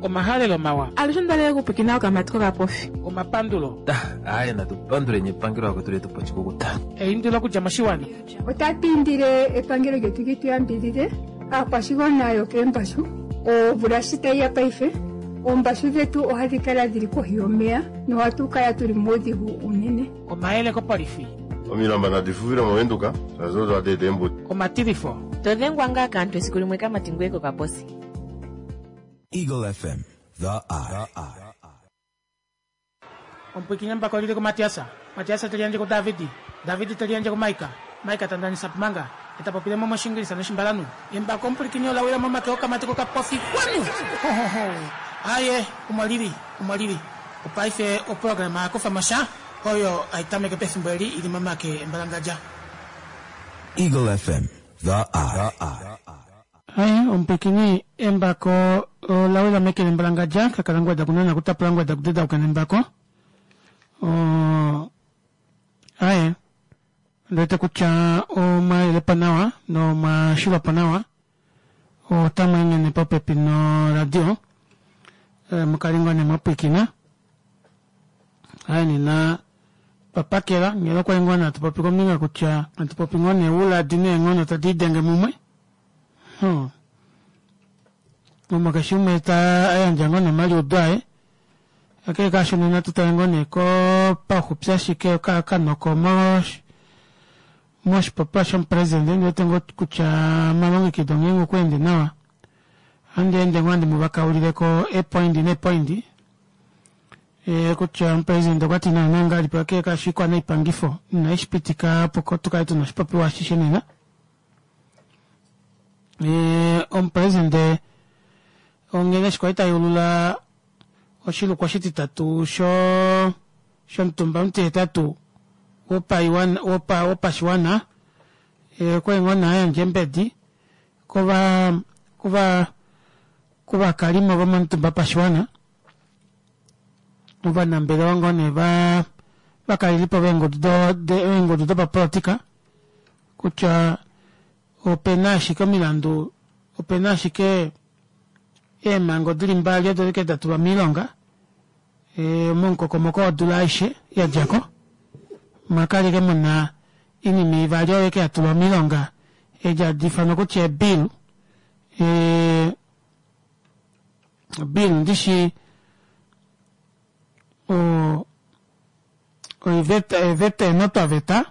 Omahalelo mawa. Alushe ondalele okupwikina okamati kokapofi. Omapandulo. Aaye natu panduleni epangelo vakwetu letu pa oshikukuta. Eindilo okudja moshiwana. Otatu indile epangelo lyetu li tu yambidhidhe, aakwashigwana yokeembashu. Omvula shi tayi ya paife, oombashu dhetu ohadhi kala dhi li kohi yomeya nohatu kala tu li muudhigu uunene. Omayele kopolifi. Omilamba nadi fufile mOvenduka, shaashi odo hadi eta eembuto. Omatilifo. To dhengwa ngaa kaantu esiku limwe kamati ngoye kokaposi. Eagle FM, the eye. Omupwiikini embako oli li kuMatias, Matias te liyandje kuDavid, David te liyandje kuMaika, Maika ta ndanisa Pumanga, e ta popile mo mOshiingilisa nOshimbalanhu. Embako omupwilikini ola wila momake okamati kokapofi. Kwanu! Ho, ho, ho! Aaye, omo li li, omo li li. Opaife oprograma ya kufa mo sha, oyo hai tameke pefimbo eli i li momake embalangadja. Eagle FM, the eye. Aye, omupwilikini, embako ola wila meke lembalangadja, kakala ngweda kunana kutapula ngweda kudedauka nembako. O, aye, ondi wete kutya omwa yelepa nawa nomwa shilwa po nawa. Otamu enghene popepi noradio, eh, mukale ngoo nee mwa pwilikina. Aye nena twa pakela nghela okwali ngoo nee hatu popi kombinga kutya hatu popi ngoo nee ouladi neenghono tadi lidenge mumwe. Hmm. Omo keshe umwe ta yandja ngoo nee omaliudo aye. Kakele kaasho nena tu tale ngoo nee kopauxupi ashike okanoko moshipopiwa shomupresidente ndi wete ngoo kutya omalongekido ngeenge okwa ende nawa ohandi ende ngoo handi mu vakaulile ko eepoindi neepoindi e, kutya omupresidente okwa ti naana ngahelipi kakele kaasho oikwanaipangifo inai shi pitika opo tu kale tuna oshipopiwa ashishe nena. E, omupresidente onghene eshi kwali ta yeulula oshilukwa oshititatu sho shomutumba omutihetatu wopaiwana wopa wopashiwana e, okwali ngoo nee a yandja eembedi kova kova kovakalimo vomomutumba wopashiwana ovanambelewa ngoo nee va vakalelipo veengudu do eengudu dopapolitika kutya opena ashike omilandu opena ashike eemhango dili mbali odo ashike da tulwa moilonga e, momukokomoko wodula aishe ya dja ko omwa kala ashike muna oinima ivali oyo ashike ya tulwa moilonga edi hadi ifanwa kutya eebill e, bill ndishi o oiveta eeveta eenotwaveta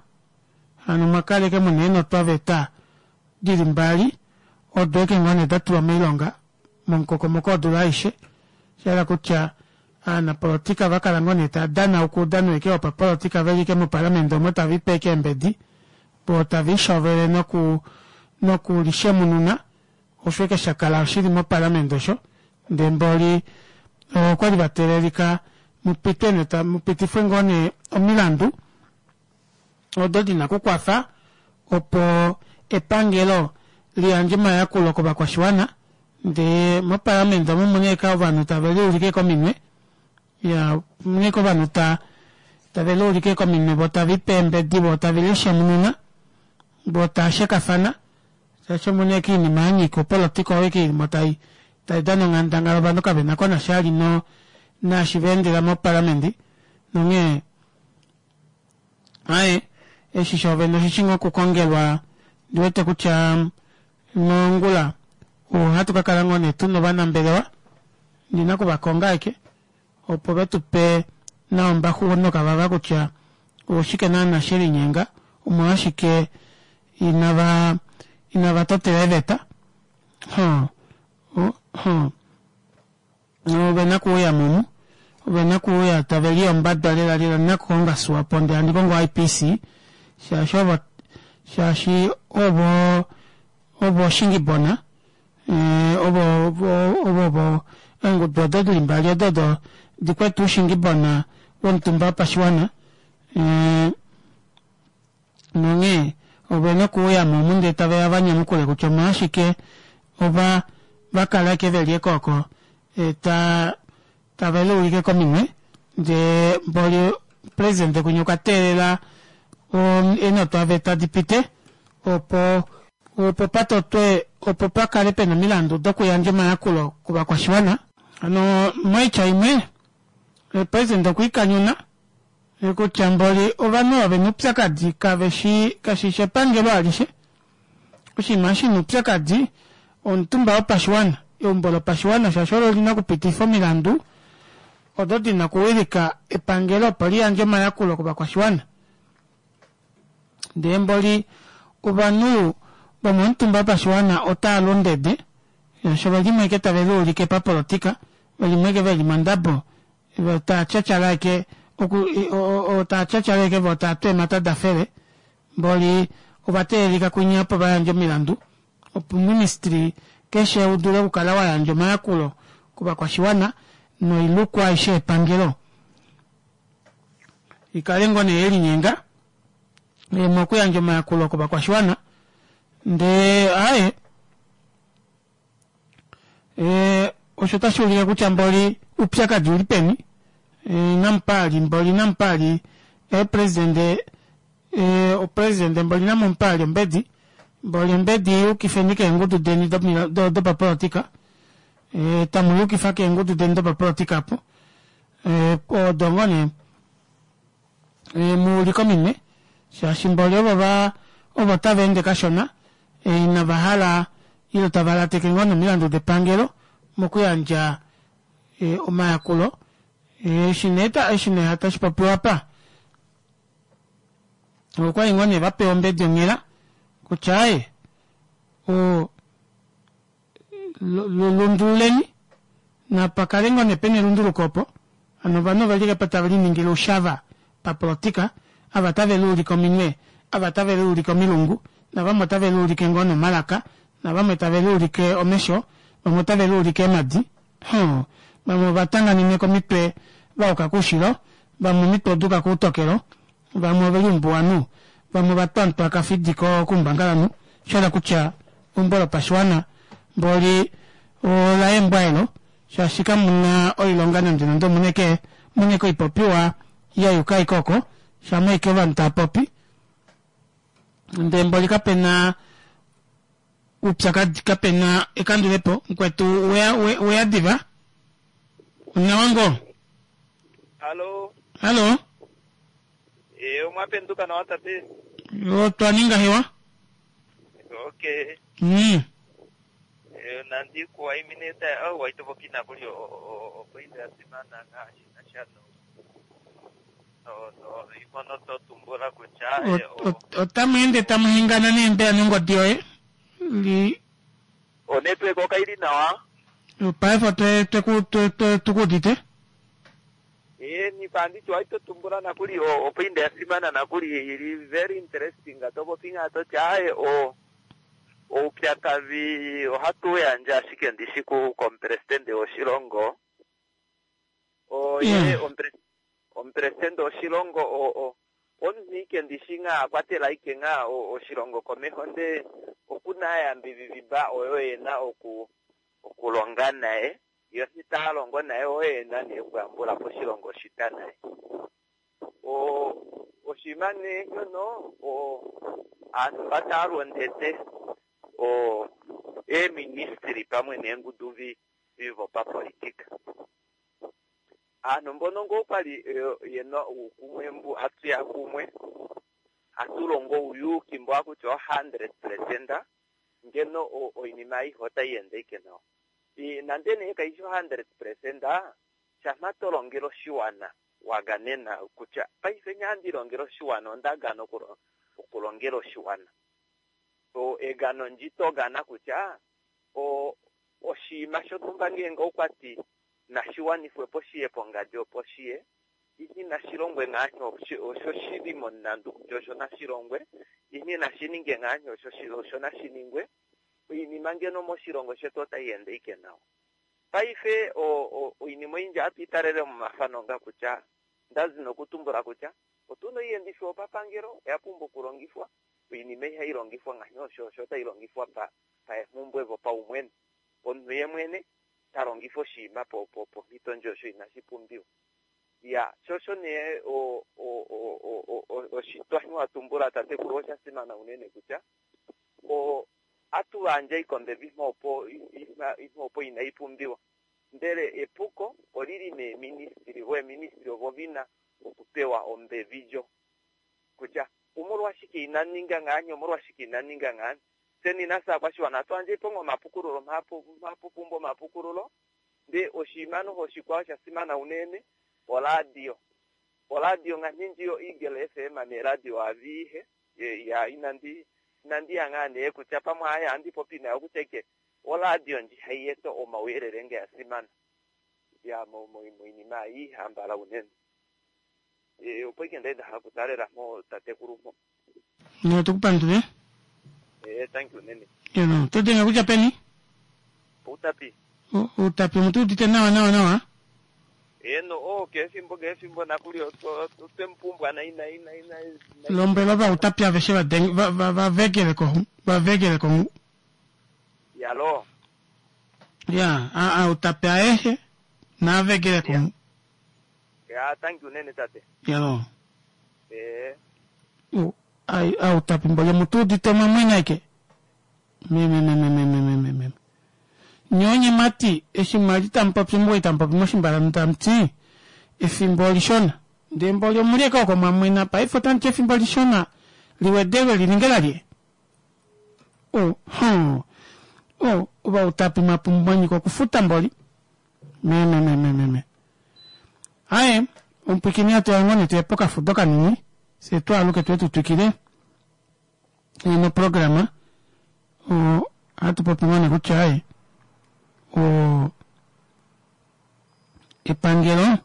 hano mwa kala ashike muna eenotwaveta dili mbali odo ashike ngoo nee da tulwa moilonga momukokomoko wodula aishe sha hala kutya aanapolotika va kala ngoo nee tava danauka oudano ashike wopapolotika veli ashike mopalamende omo tave lipe ashike eembedi voo tave lishovele noku nokulishemununa osho ashike sha kala shili mopalamende osho ndee mboli okwali va teelelika mupitwe nee mupitifwe ngoo nee omilandu odo dina okukwafa opo epangelo liyandje omayakulo kovakwashiwana ndee mopalamende omo muna ashike ovanhu tave liulike kominwe ya muna ashike ovanhu ta tave liulike kominwe vo tave lipe eembedi vo tave lishemununa vo tava shekafana shaashi omuna ashike oinima yanyika opolotika oyo ashike ilimo tai tai dana onghandangala ovanhu kavena ko nasha vali no naashi va endela mopalamende nonghee Aye, eshi shoovene oshishi ngoo okukongelwa, ndi wete kutya mongula ohatu ka kala ngoo nee tuna ovanambelewa, ndi na okuvakonga ashike opo ve tu pe nawa ombaxu nokavava kutya oshike naana she linyenga, omolwashike inava inava totela eeveta. Huh, huh. Ove na kuuya momu. Ove na kuuya tave liyombada lela lela. Ndi na kukonga Swapo ndee handi kongo IPC shaashi ovo shaashi ovo ovo oshingibona eh, ovo ovo ovo eengudu odo dili mbali odo odo di kwete oushingibona womutumba wopashiwana eh, Nonghee ove na okuuya mo omu ndele tave ya va nyamukule kutya omolwashike ova va kala ashike ve li ekooko ta tave liulike kominwe ndee mboli presidente kwinya okwa teelela eenotwaveta di pite opo opo pa totwe opo pa kale pena omilandu dokuyandja omayakulo kovakwashiwana. Hano moitya imwe president okwiikanyuna kutya mboli ovanhu ava vena oupyakadi kaveshi kashishi epangelo alishe oshinima shina oupyakadi omutumba wopashiwana eumbo lopashiwana shaashi olo lina okupitifa omilandu odo dina okuwilika epangelo opo liyandje omayakulo kovakwashiwana ndee mboli ovanhu vomomutumba wopashiwana otaa lundede shaashi ove limwe eke tave liulike papolotika ve limwe eke veli mondabo vo taa tyatyala eke oku taa tyatyala eke vo taa tu eemhata da fele mboli ova teelelika kwinya opo va yandje omilandu opo oministry keshe u dule okukala wa yandja omayakulo kovakwashiwana noilukwa aishe yepangelo ikale ngoo nee yelinyenga mokuyandja omayakulo kovakwashiwana ndee aaye e, osho otashi ulike kutya mboli upyakadi uli peni e, namupaali mboli namupaali eepresidente e, opresidente mboli namupaali ombedi mboli ombedi yukifeni keengudu deni dopapolitika e, tamu yukifa keengudu deni dopapolitika apo e, odo ngoo nee e, mu ulike ominwe shaashi mboli ovo va ovo tava ende kashona e, inava hala ile tava lateke ngoo nomilandu depangelo mokuyandja e, omayakulo eshi nee eshi nee tashi popiwa apa okwali ngoo nee vapewa ombedi onghela kutya aye o lundululeni napa kale ngoo nee pena elunduluko opo hano ovanhu ove li tave liningile oushava papolotika ava tave liulike ominwe ava tave liulike omilungu navamwe otave liulike ngoo nomalaka navamwe tave liulike omesho vamwe otave liulike eemadi vamwe ova tanganene komitwe va yuka koushilo vamwe omitwe oduuka koutokelo vamwe oveli umbuwanhu vamwe ova twantwa kafidi koumbangalanhu shahala kutya eumbo lopashiwana mboli ola embwa elo shaashi kamuna oilonga nande nande omuneke muneke oipopiwa ya yuka ashike oko shama ashike ovanhu tava popi ndee mboli kapena oupyakadi kapena ekandulepo mukwetu weya weya diva onawa ngoo Halo. Halo. Eh, omwa penduka nawa tate. Otwa ninga hewa. Okay. Eh, nandi kuwaimine ta oh waitopoki nakuli opoinda ya simana ngaashi nasha no no no imono to tumbula kutya otamu ende tamu hengana nee mbela nongodi yoye li onetwork okaili nawa paife otwe tukuudite Eeni, panditi waito tumbula nakuli o opoinda ya simana nakuli ili very interesting to popi ngaa toti aaye o oupyakadhi ohatu u yandja ashike ndishi ku komupresidente woshilongo o ye omupresidente woshilongo o o omunhu ike ndishi ngaa a kwatela ike ngaa oshilongo komeho ndee oku na aayambidhidhi mba oyo ye na oku okulonga naye Yo shi taa longo naye oye e na nee okuyambula po oshilongo shita naye. O, oshinima nee shono, o, aantu mba taa lu ondete, o, eeministry pamwe neengudu vi, vi vopapolitika. Aantu mbono ngoo kwa li ye na uukumwe mbu hatu ya kumwe, hatu longo ouyuuki mbo haku tiwa 100%, ngeno o, oinima ayihe otayi ende ike nawa. Nande nee kayi shi 100%, shampa to longele oshiwana wa ganena kutya paife ngee handi longele oshiwana onda gana okulongela oshiwana. Egano ndji to gana kutya oshinima shontumba ngeenge okwati nashi wanifwe po shiye pongadi opo shiye, ihe inashi longwe ngaa osho shi li momulandu kutya osho nashi longwe, ihe inashi ninge ngaa osho nashi ningwe. Oinima ngeno moshilongo shetu otai ende ike nawa. Paife oinima oyindji ohatu i talele momafano nga kutya, nda zi nokutumbula kutya otu na oiendifo yopapangelo oya pumbwa okulongifwa, oinima ihai longifwa ngaashi osho osho otai longifwa pa paemhumbwe vopaumwene. Omunhu ye mwene ta longifa oshinima pomhito ndjo osho inashi pumbiwa. Ya, sho osho nee oshitwa shi wa tumbula tatekulu osha simana unene kutya o atu yandja oikombe imha opo imha opo inai pumbiwa. Ndele Ina ninga ngaani, omolwashike ina ninga ngaani. Tseni nafye aakwashiwana ohatu yandje po omapukululo mhapu pumbwa omapukululo, ndee oshinima noho oshikwao sha simana unene oradio. Oradio ngaashi ndji yo Eagle FM neeradio adhihe, ya inandi inandi ya ngaa nee kutya pamwe aye ohandi popi nayo kutya ike oradio ndji hayi eta omauyelele nge ya simana ya moinima ayihe ambala unene. Opo ike ndali nda hala okutalela mpo tatekulu mpo. Nee tukupandule. Thank you unene. Eno, oto denge kutya peni? Outapi. Outapi omutu udite nawa nawa nawa? Eno, oh, kefimbo kefimbo nakuli otwe mupumbwa na ina ina ina. Lombwela ovautapi aveshe va denge va va va vegele ko va vegele ko. Yalo. Ya, a a utapi ayehe na vegele ko. Ya, thank you unene tate. Yalo. Outapi mboli omutu udite omwamwena eke. Me me me me me me me me. Nye onyemati eshi mwa li tamu popi muwii tamu popi moshimbalanu tamu ti efimbo olishona ndee mboli omuli eke oko mwa mwena paife otamu ti efimbo olishona liwedelwe li ninge lalye? O, hum, o, ovautapi mwa pumbwa nyika okufuta mboli. Me me me me me me. Aye, omupwikini atu ya ngoo nee tuye pokafudo kanini fye twaaluke tuye tu twikile noprograma. Ohatu popi ngoo nee kutya aye o epangelo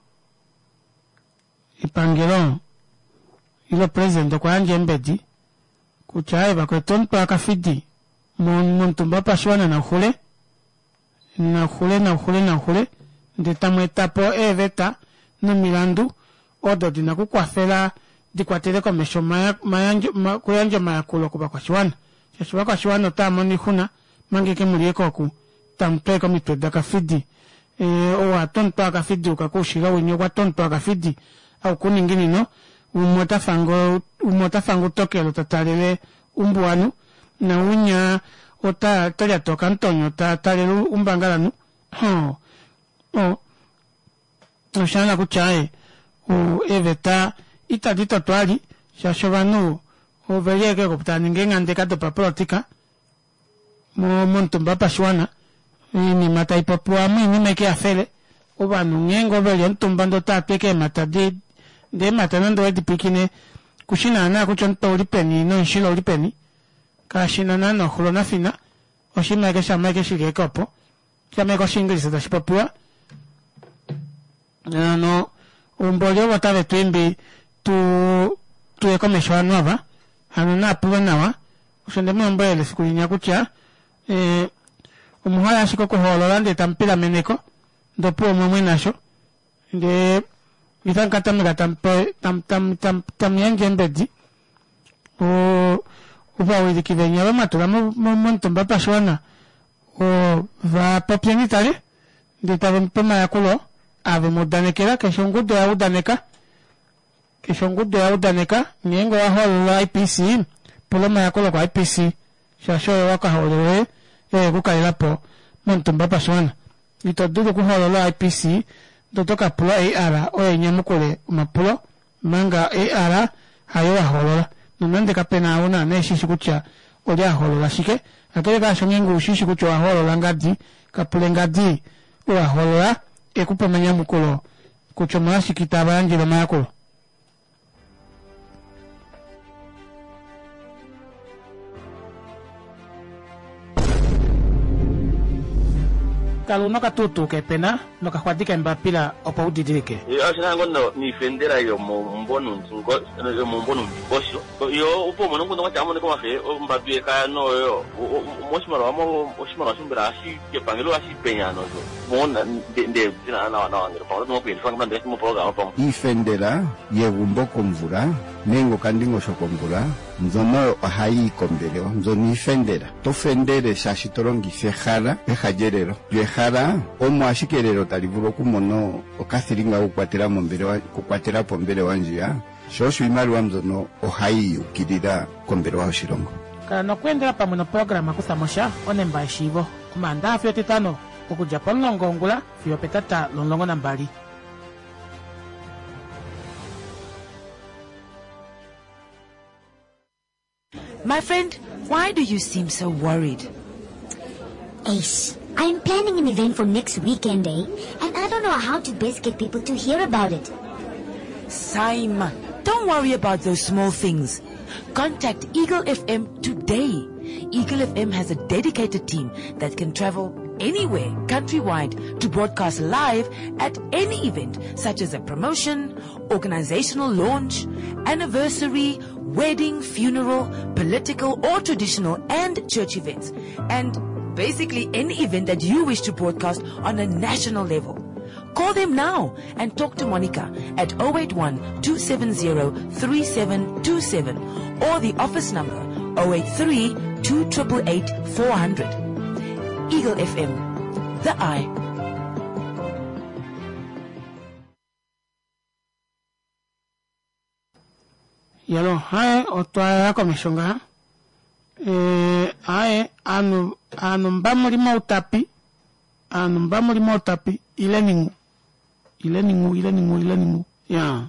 epangelo ile president okwa yandja eembedi kutya aye vakwetu omutwe wakafidi momutumba wopashiwana nauxule nauxule nauxule nauxule ndee tamu eta po eeveta nomilandu odo dina okukwafela di kwatele komesho okuyandja omayakulo kovakwashiwana shaashi ovakwashiwana otava mono oixuna omanga eke muli eke oku tamu tweke omitwe dakafidi ou a twa omutwe wakafidi uka koushilo winya okwa twa omutwe wakafidi aukuninginino umwe ota umwe ota fanga utokelo ta talele umbuwanhu naunya ota lyata okamutonyo ta talele umbangalanhu o o osha hala kutya aye eeveta itadi totwa li shaashi ovanhu oveli eke oku tava ningi eenghandeka dopapolitika momutumba wopashiwana oinima taipopiwa oinima eke yafele ovanhu ngeenge oveli omutumba ndee otava tu eke eemhata ndee eemhata nande owedi pwiikine kushi naana kutya omutwe ouli peni nomushila ouli peni kashina naana oxulo nafina oshinima eke shama eke shili eke opo shama eke oshiingilisa tashi popiwa hano umboli ovo tave tu imbi tu tuye komesho ovanhu ava hano naapulwe nawa osho nde mu lombwelele efiku linya kutya eh, omuhole ashike okuhoolola ndee tamu pilameneko ndee opuwo omwe nasho ndee itamu ka tameka tamu yandje eembedi ovawiliki veni ava mwatula momutumba wopashiwana va popyeni tale ndee tave mupe omayakulo aa vemu udanekela keshe ongudu oya udaneka keshe ongudu oya udaneka ngeenge owa hoolola IPC pula omayakulo ko IPC shaashi oyo wakahoololele oyo yekukalelapo momutumba wopashiwana ito dulu okuhoolola IPC ndee oto kapula AR oyo inyamukule omapulo omanga AR hayo wa hoolola nonande kapena ou naana eshishi kutya olye a hoolola shike kakele kaasho ngeenge ushishi kutya owa hoolola ngadi kapule ngadi ou a hoolola ekupe omanyamukulo kutya omolwashike itava yandjele omayakulo. Kala una okatuutuu kepena nokaxwadi kembapila opo u didilike. Osho ngo no niifendela yomomumvo nomundingosho yo opo umone omukundu gwatya amone komafe ombambi yekaya noyo moshimaliwa oshimaliwa shombela hashi kepangelo hashi penya nozo mona nde dina nawa nawa ngele pamwe oto kuyelifa ngamba ndele moprograma pamwe. Iifendela yegumbo komvula nenge okandingosho komvula mbyono ohayi yi kombelewa mbyono iifendela. To fendele shaashi to longitha ehala peha lyelelo. Lyo ehala omo ashike elelo tali vulu okumona okathilinga kokukwatela mombelewa okukwatela po ombelewa ndjiya, sho osho iimaliwa mbyono ohayi yukilila kombelewa yoshilongo. Kala nokweendela pamwe noprograma Kutha mo sha, onemba yeshiivo, Omaandaxa fiyo Etitano, okudja pomulongo wongula fiyo opetata lomulongo nambali. My friend, why do you seem so worried? Ace, I'm planning an event for next weekend, eh? And I don't know how to best get people to hear about it. Saima, don't worry about those small things. Contact Eagle FM today. Eagle FM has a dedicated team that can travel anywhere countrywide to broadcast live at any event such as a promotion, organizational launch, anniversary, wedding, funeral, political or traditional and church events. And basically any event that you wish to broadcast on a national level. Call them now and talk to Monica at 081 270 3727 or the office number 083 2888 400. Eagle FM, the eye. Yalo, haye otwa ya komesho ngaha. Eh, haye anu anu mba muli moutapi, anu mba muli moutapi ileni ngu. Ileni ngu, ileni ngu, ileni ngu. Ya.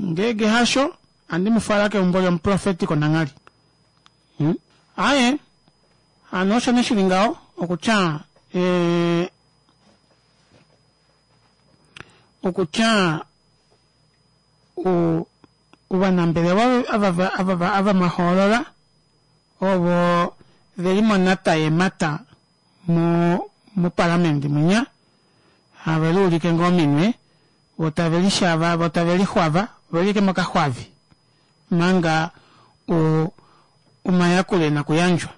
Ngege hasho andi mufala keumbo lyomuprofeti konangali. Hmm? Aye, hano osho nee shili ngaho okutya eh, okutya ovanambelewa ava ava ava mwa hoolola ovo ve li monata yeemata mo mopalamende mwinya have liulike ngoo ominwe vo tave lishava vo tave lixwava ove li ashike mokaxwavi manga o omayakulo e na okuyandjwa.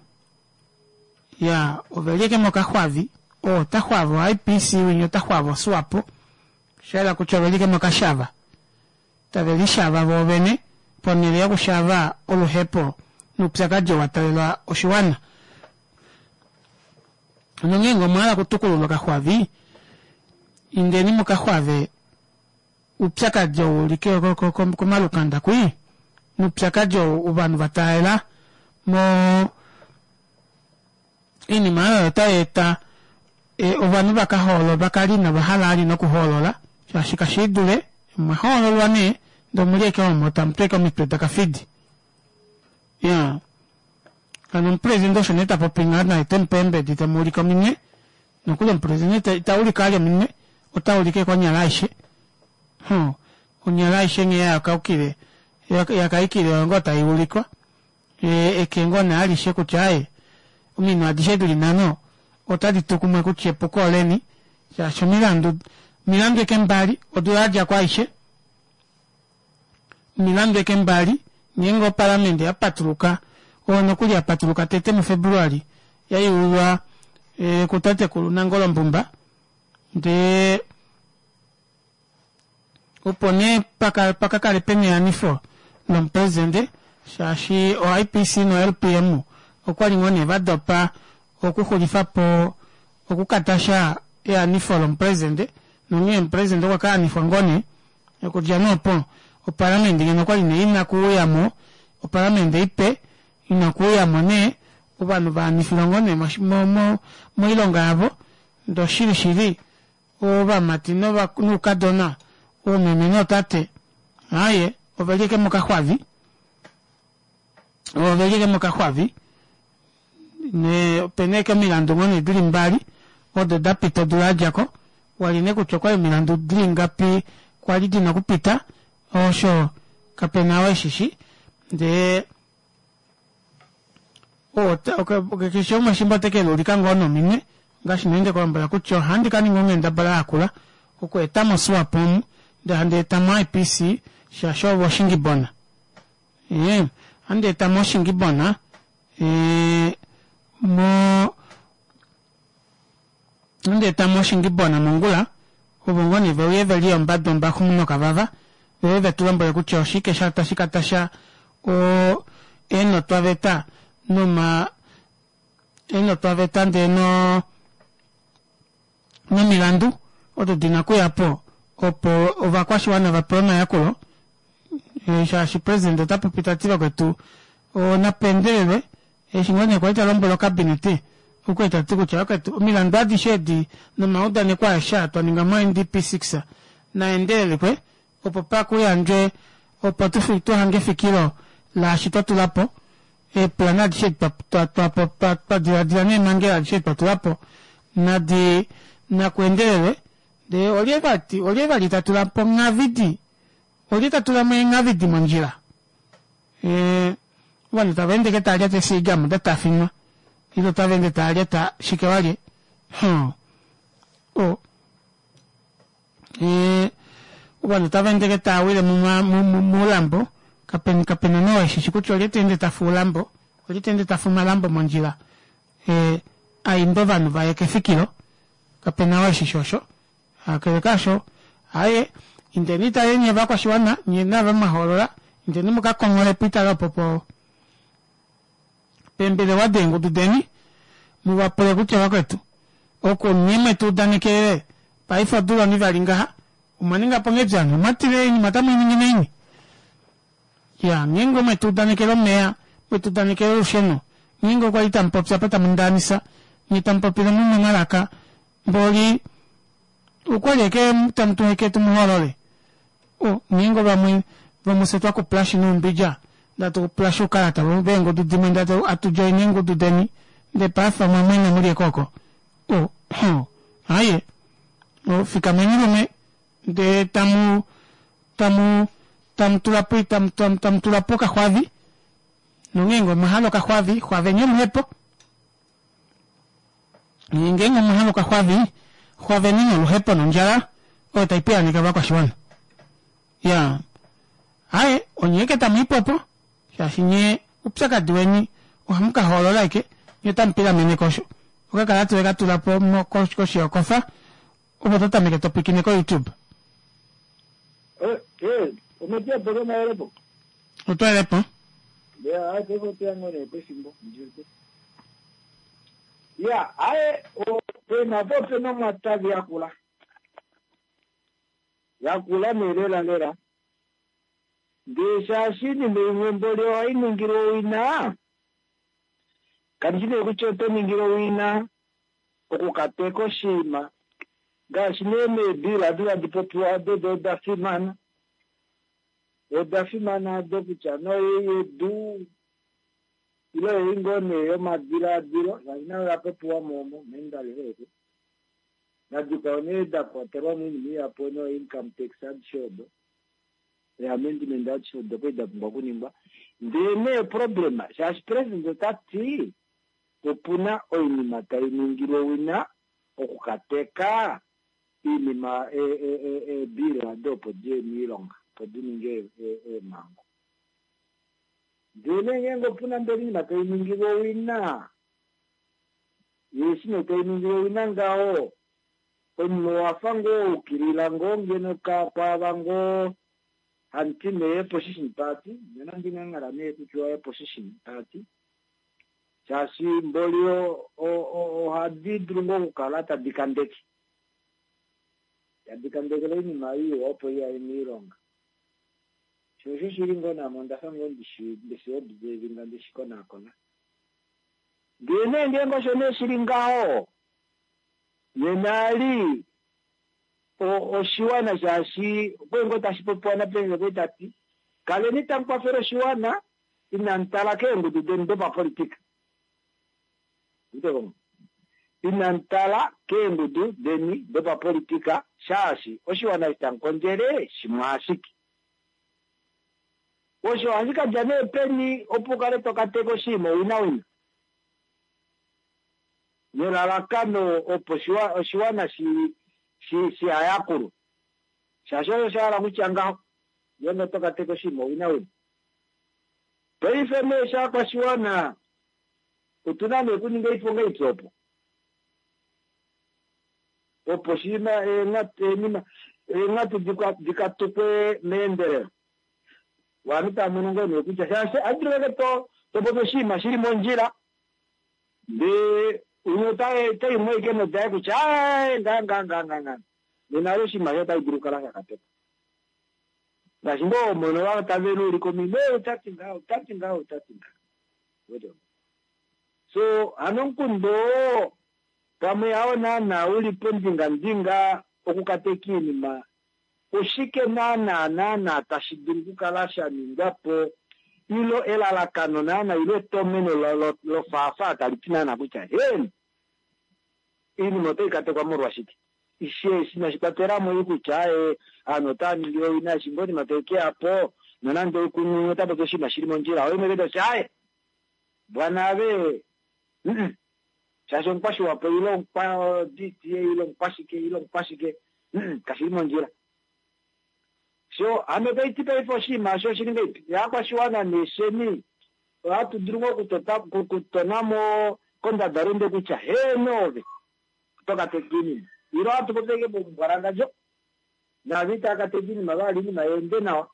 Ya ove li ashike mokaxwavi oo ota xwava oIPC winya ota xwava oSwapo sha yela kutya ove li ashike mokashava tave lishava voovene ponhele yokushava oluhepo noupyakadi oo wa taalela oshiwana. Nongeenge omwa hala okutukulula okaxwavi, indeni mu ka xwave oupyakadi ou uli komalukanda kwii, noupyakadi ou ovanhu va taalela mo oinima oyo otai eta e, ovanhu va ka hoolola va kale inava hala ali nokuhoolola shaashi kashi dule omwa hoololwa nee ndee omuli eke omo tamu tweke omitwe dakafidi ya hano omupresidente osho nee ta popi ngaha naye te mu pe eembedi te mu ulike ominwe nokuli omupresidente ita ulike ali ominwe ota ulike konyala aishe huh. onyala aishe nghee yakaukile yakaikile oyo ngoo tai ulikwa e, eke ngoo nee alishe kutya aye ominwe adishe dili nhano otadi tu kumwe kutya epuko oleni shaashi omilandu omilandu eke mbali odula yadja ko aishe Omilandu eke mbali, ngeenge opalamende ya patuluka, oyo nokuli ya patuluka tete muFebruali, ya yeululwa kutatekulu Nangolo Mbumba, ndee opo nee paka paka kale pena eanifo lomupresidente shaashi oIPC noLPM okwa li ngoo nee va dopa okuxulifa po okukatasha eanifo lomupresidente nonghee omupresidente okwa ka anifwa ngoo nee Okudja nee opo, opalamende ngeno okwali nee ina kuuya mo, opalamende ipe ina kuuya mo nee, ovanhu va anifilwa ngoo nee moilonga yavo, ndee oshili shili ovamati noukadona, oomeme nootate, aaye oveli ashike mokaxwavi, oveli ashike mokaxwavi, ne opena ashike omilandu ngoo nee dili mbali odo dapita odula yadjako wali nee kutya okwali omilandu dili ngapi kwali dina okupita osho kapena oo eshishi ndee keshe umwe shimba ote ke liulika ngoo nominwe ngaashi nee ndekulombwela kutya ohandi ka ninga onghendabala yakula oku etamo Swapo omu ndee handi etamo IPC shaashi ovo oshingibona ee ohandi etamo oshingibona ee mo ohandi etamo oshingibona mongula ovo ngoo nee veuye ve li ombadu ombaxu nokavava veuye ve tu lombwele kutya oshike sha tashi ka tasha o eenotwaveta noma eenotwaveta ndee no nomilandu odo di na okuya po opo ovakwashiwana va pewe omayakulo eh, shaashi president ota popi ta ti vakwetu onapendelelwe eshi ngoo nee kwali ta lombwele okabinete okwali ta ti kutya vakwetu omilandu adishe edi nomaudaneko aeshe aa twa ninga mo-ndp 6 naendelelekwe opo pa kuyandjwe opo tu, tu hange efikilo laashi twa tula po. Eeplan adishe edi twa twa twa twa diladila neemhangela adishe edi twa tula po nadi nakuendelelwe ndee olye vati olye vali ta tula po nghavidi olye ta tula mo eenghavidi mondjila ee ovanhu tava ende ke tava lyata esiiga muda tafinwa ile otava ende tava lyata shike walye huh o ee ovanhu otava ende ke tava wile moulambo kapena kapena nee oo eshishi kutya olye ta ende tafu oulambo olye ta ende tafu omalambo mondjila ee aimbe ovanhu vaye kefikilo kapena oo eshishi osho kakele kaasho aaye indeni tale nye ovakwashiwana nye naava mwahoolola indeni muka konghole poitale opo po peembelewa deengudu deni muvapule kutya vakwetu oku nye mwetu udanekelele paife odula onivali ngaha omwa ningapo nghedi ovanhu omwatile oinima otamu iningi naini ya ngeenge omwetu udanekele omeya mwetu udanekele olusheno ngeenge okwali tamu popi apa tamu ndaanisa nye tamu popile mumwe omalaka mboli okwali eke tamu tuheke tumuhoolole o ngeenge vamwe vomufye twakupulashi noumbidja ndee hatukupulashi oukalata veengudu dimwe ndee hatu joina eengudu deni ndee paife omwa mwena muli eke oko o ho aaye o fikameni lume ndee tamu tamu tamu tula po tamu tamu tamu tula po okaxwavi nongeenge omwa hala okaxwavi xwaveni oluhepo ngeenge omwa hala okaxwavi xwaveni noluhepo nondjala oyo tai piyaaneke ovakwashiwana ya aye onye eke tamu ipopo shaashi nye oupyakadi weni ohamu ka hoolola eke nye otamu pilamene kosho okakalata oweka tula po koshi yokofa opo to tameke to pwiikine koYouTube. Eh, eh, ometia po mayelepo. Otwelepo. Ya, aye paife oteya ngoo nee pefimbo ndiwete. Ya, aye pena po pena omwatavi yakula. Yakula nee lela lela. Ndee shaashi iinima imwe mboli ohai ningilwa owina, kandi shi nee kutya oto ningile owina okukateka oshinima ngaashi nee meebila adi tadi popiwa ado do oda fimana oda fimana ado kutya noyei yedu ile oyei ngoo nee yomadilaadilo shaashi nayo oya popiwa mo omo mendalelo eke nadikwao nee da kwatelwa mo oinima ihapu no income tax adishe odo eamendment adishe odo kwali da pumbwa okuningwa ndee nee problem shaashi president ota ti opuna oinima tai ningilwa owina okukateka iinima eebill ado opo diye miilonga opo di ninge eemhango ndee nee ngeenge opuna mbela oinima tai ningilwa owina yeeshi nee tai ningilwa owina ngaho omunhu owafa ngoo waukilila ngoo ngeno kwaava ngoo hamuti nee opposition party nena ndingangala nee kutya opposition party shaashi mboli ohadi dulu ngoo okukala tadi kandeke tadi kandekele oinima iwa opo iyaye miilonga sho osho shili ngoo namo ondafa ngoo ndishi ndishi observinga ndishi konaakona ndee nee ngeenge osho nee shili ngaho nena ali oshiwana shaashi okwali ngoo tashi popiwa napresident okwali tati kaleni tamu kwafele oshiwana inamu tala keengudu deni dopapolitika inamu tala keengudu deni dopapolitika shaashi oshiwana eshi tamu kondjele shimwe ashike osho ohashi kadja nee peni opo ukale tokateka oshinima owina wina nelalakano opo oshiwana shihayakulwe shaashi osho shahala kutya ngaho ngeenge oto kateka oshinima owina wina paife nee shaakwashiwana otuna nee okuninga oiponga ipya opo opo shiima eenima eenghatu dikatukwe meendelelo ovanhu tava mono ngoo nee kutya shaashi ohadulu veke to topopi oshinima shili mondjila ndee umwe otaimwe ashike nodaye kutya ae nga nga nga nga nga nena alo oshinima sho otashi dulu okukala shakatekwa ngaashi ngoo mono vava tave luulika ominwe otati ngaho otati ngaho otati ngaho so hano omukundu oo pamwe hao naana uli pondingandinga okukateka iinima oshike naana naana tashi dulu okukala sha ningwa po. Ilo elalakano naana ilo etomeno lofaafaa tali ti naana kutya heeno, oinima otai katekwa molwashike. Eshi inashi kwatela mo ei kutya aaye ovanhu otava ningi owina eshi ngoo oinima tai ke ya po nonande oikunhu ota popi oshinima shi li mondjila oye mwene tati aaye bwana ave umm shaashi omukwashiwapo ile omukwa DTA ile omukwashike ile omukwashike umm kashi li mondjila. So hano otai ti paife oshinima osho oshili ngahelipi? Yaakwashiwana neesheni ohatu dulu ngoo okutota okutona mo kondadalunde kutya heeno ove oto ka teka iinima ile ohatu popi ashike momumbwalangadjo naavo itava ka teka iinima va hala iinima yeende nawa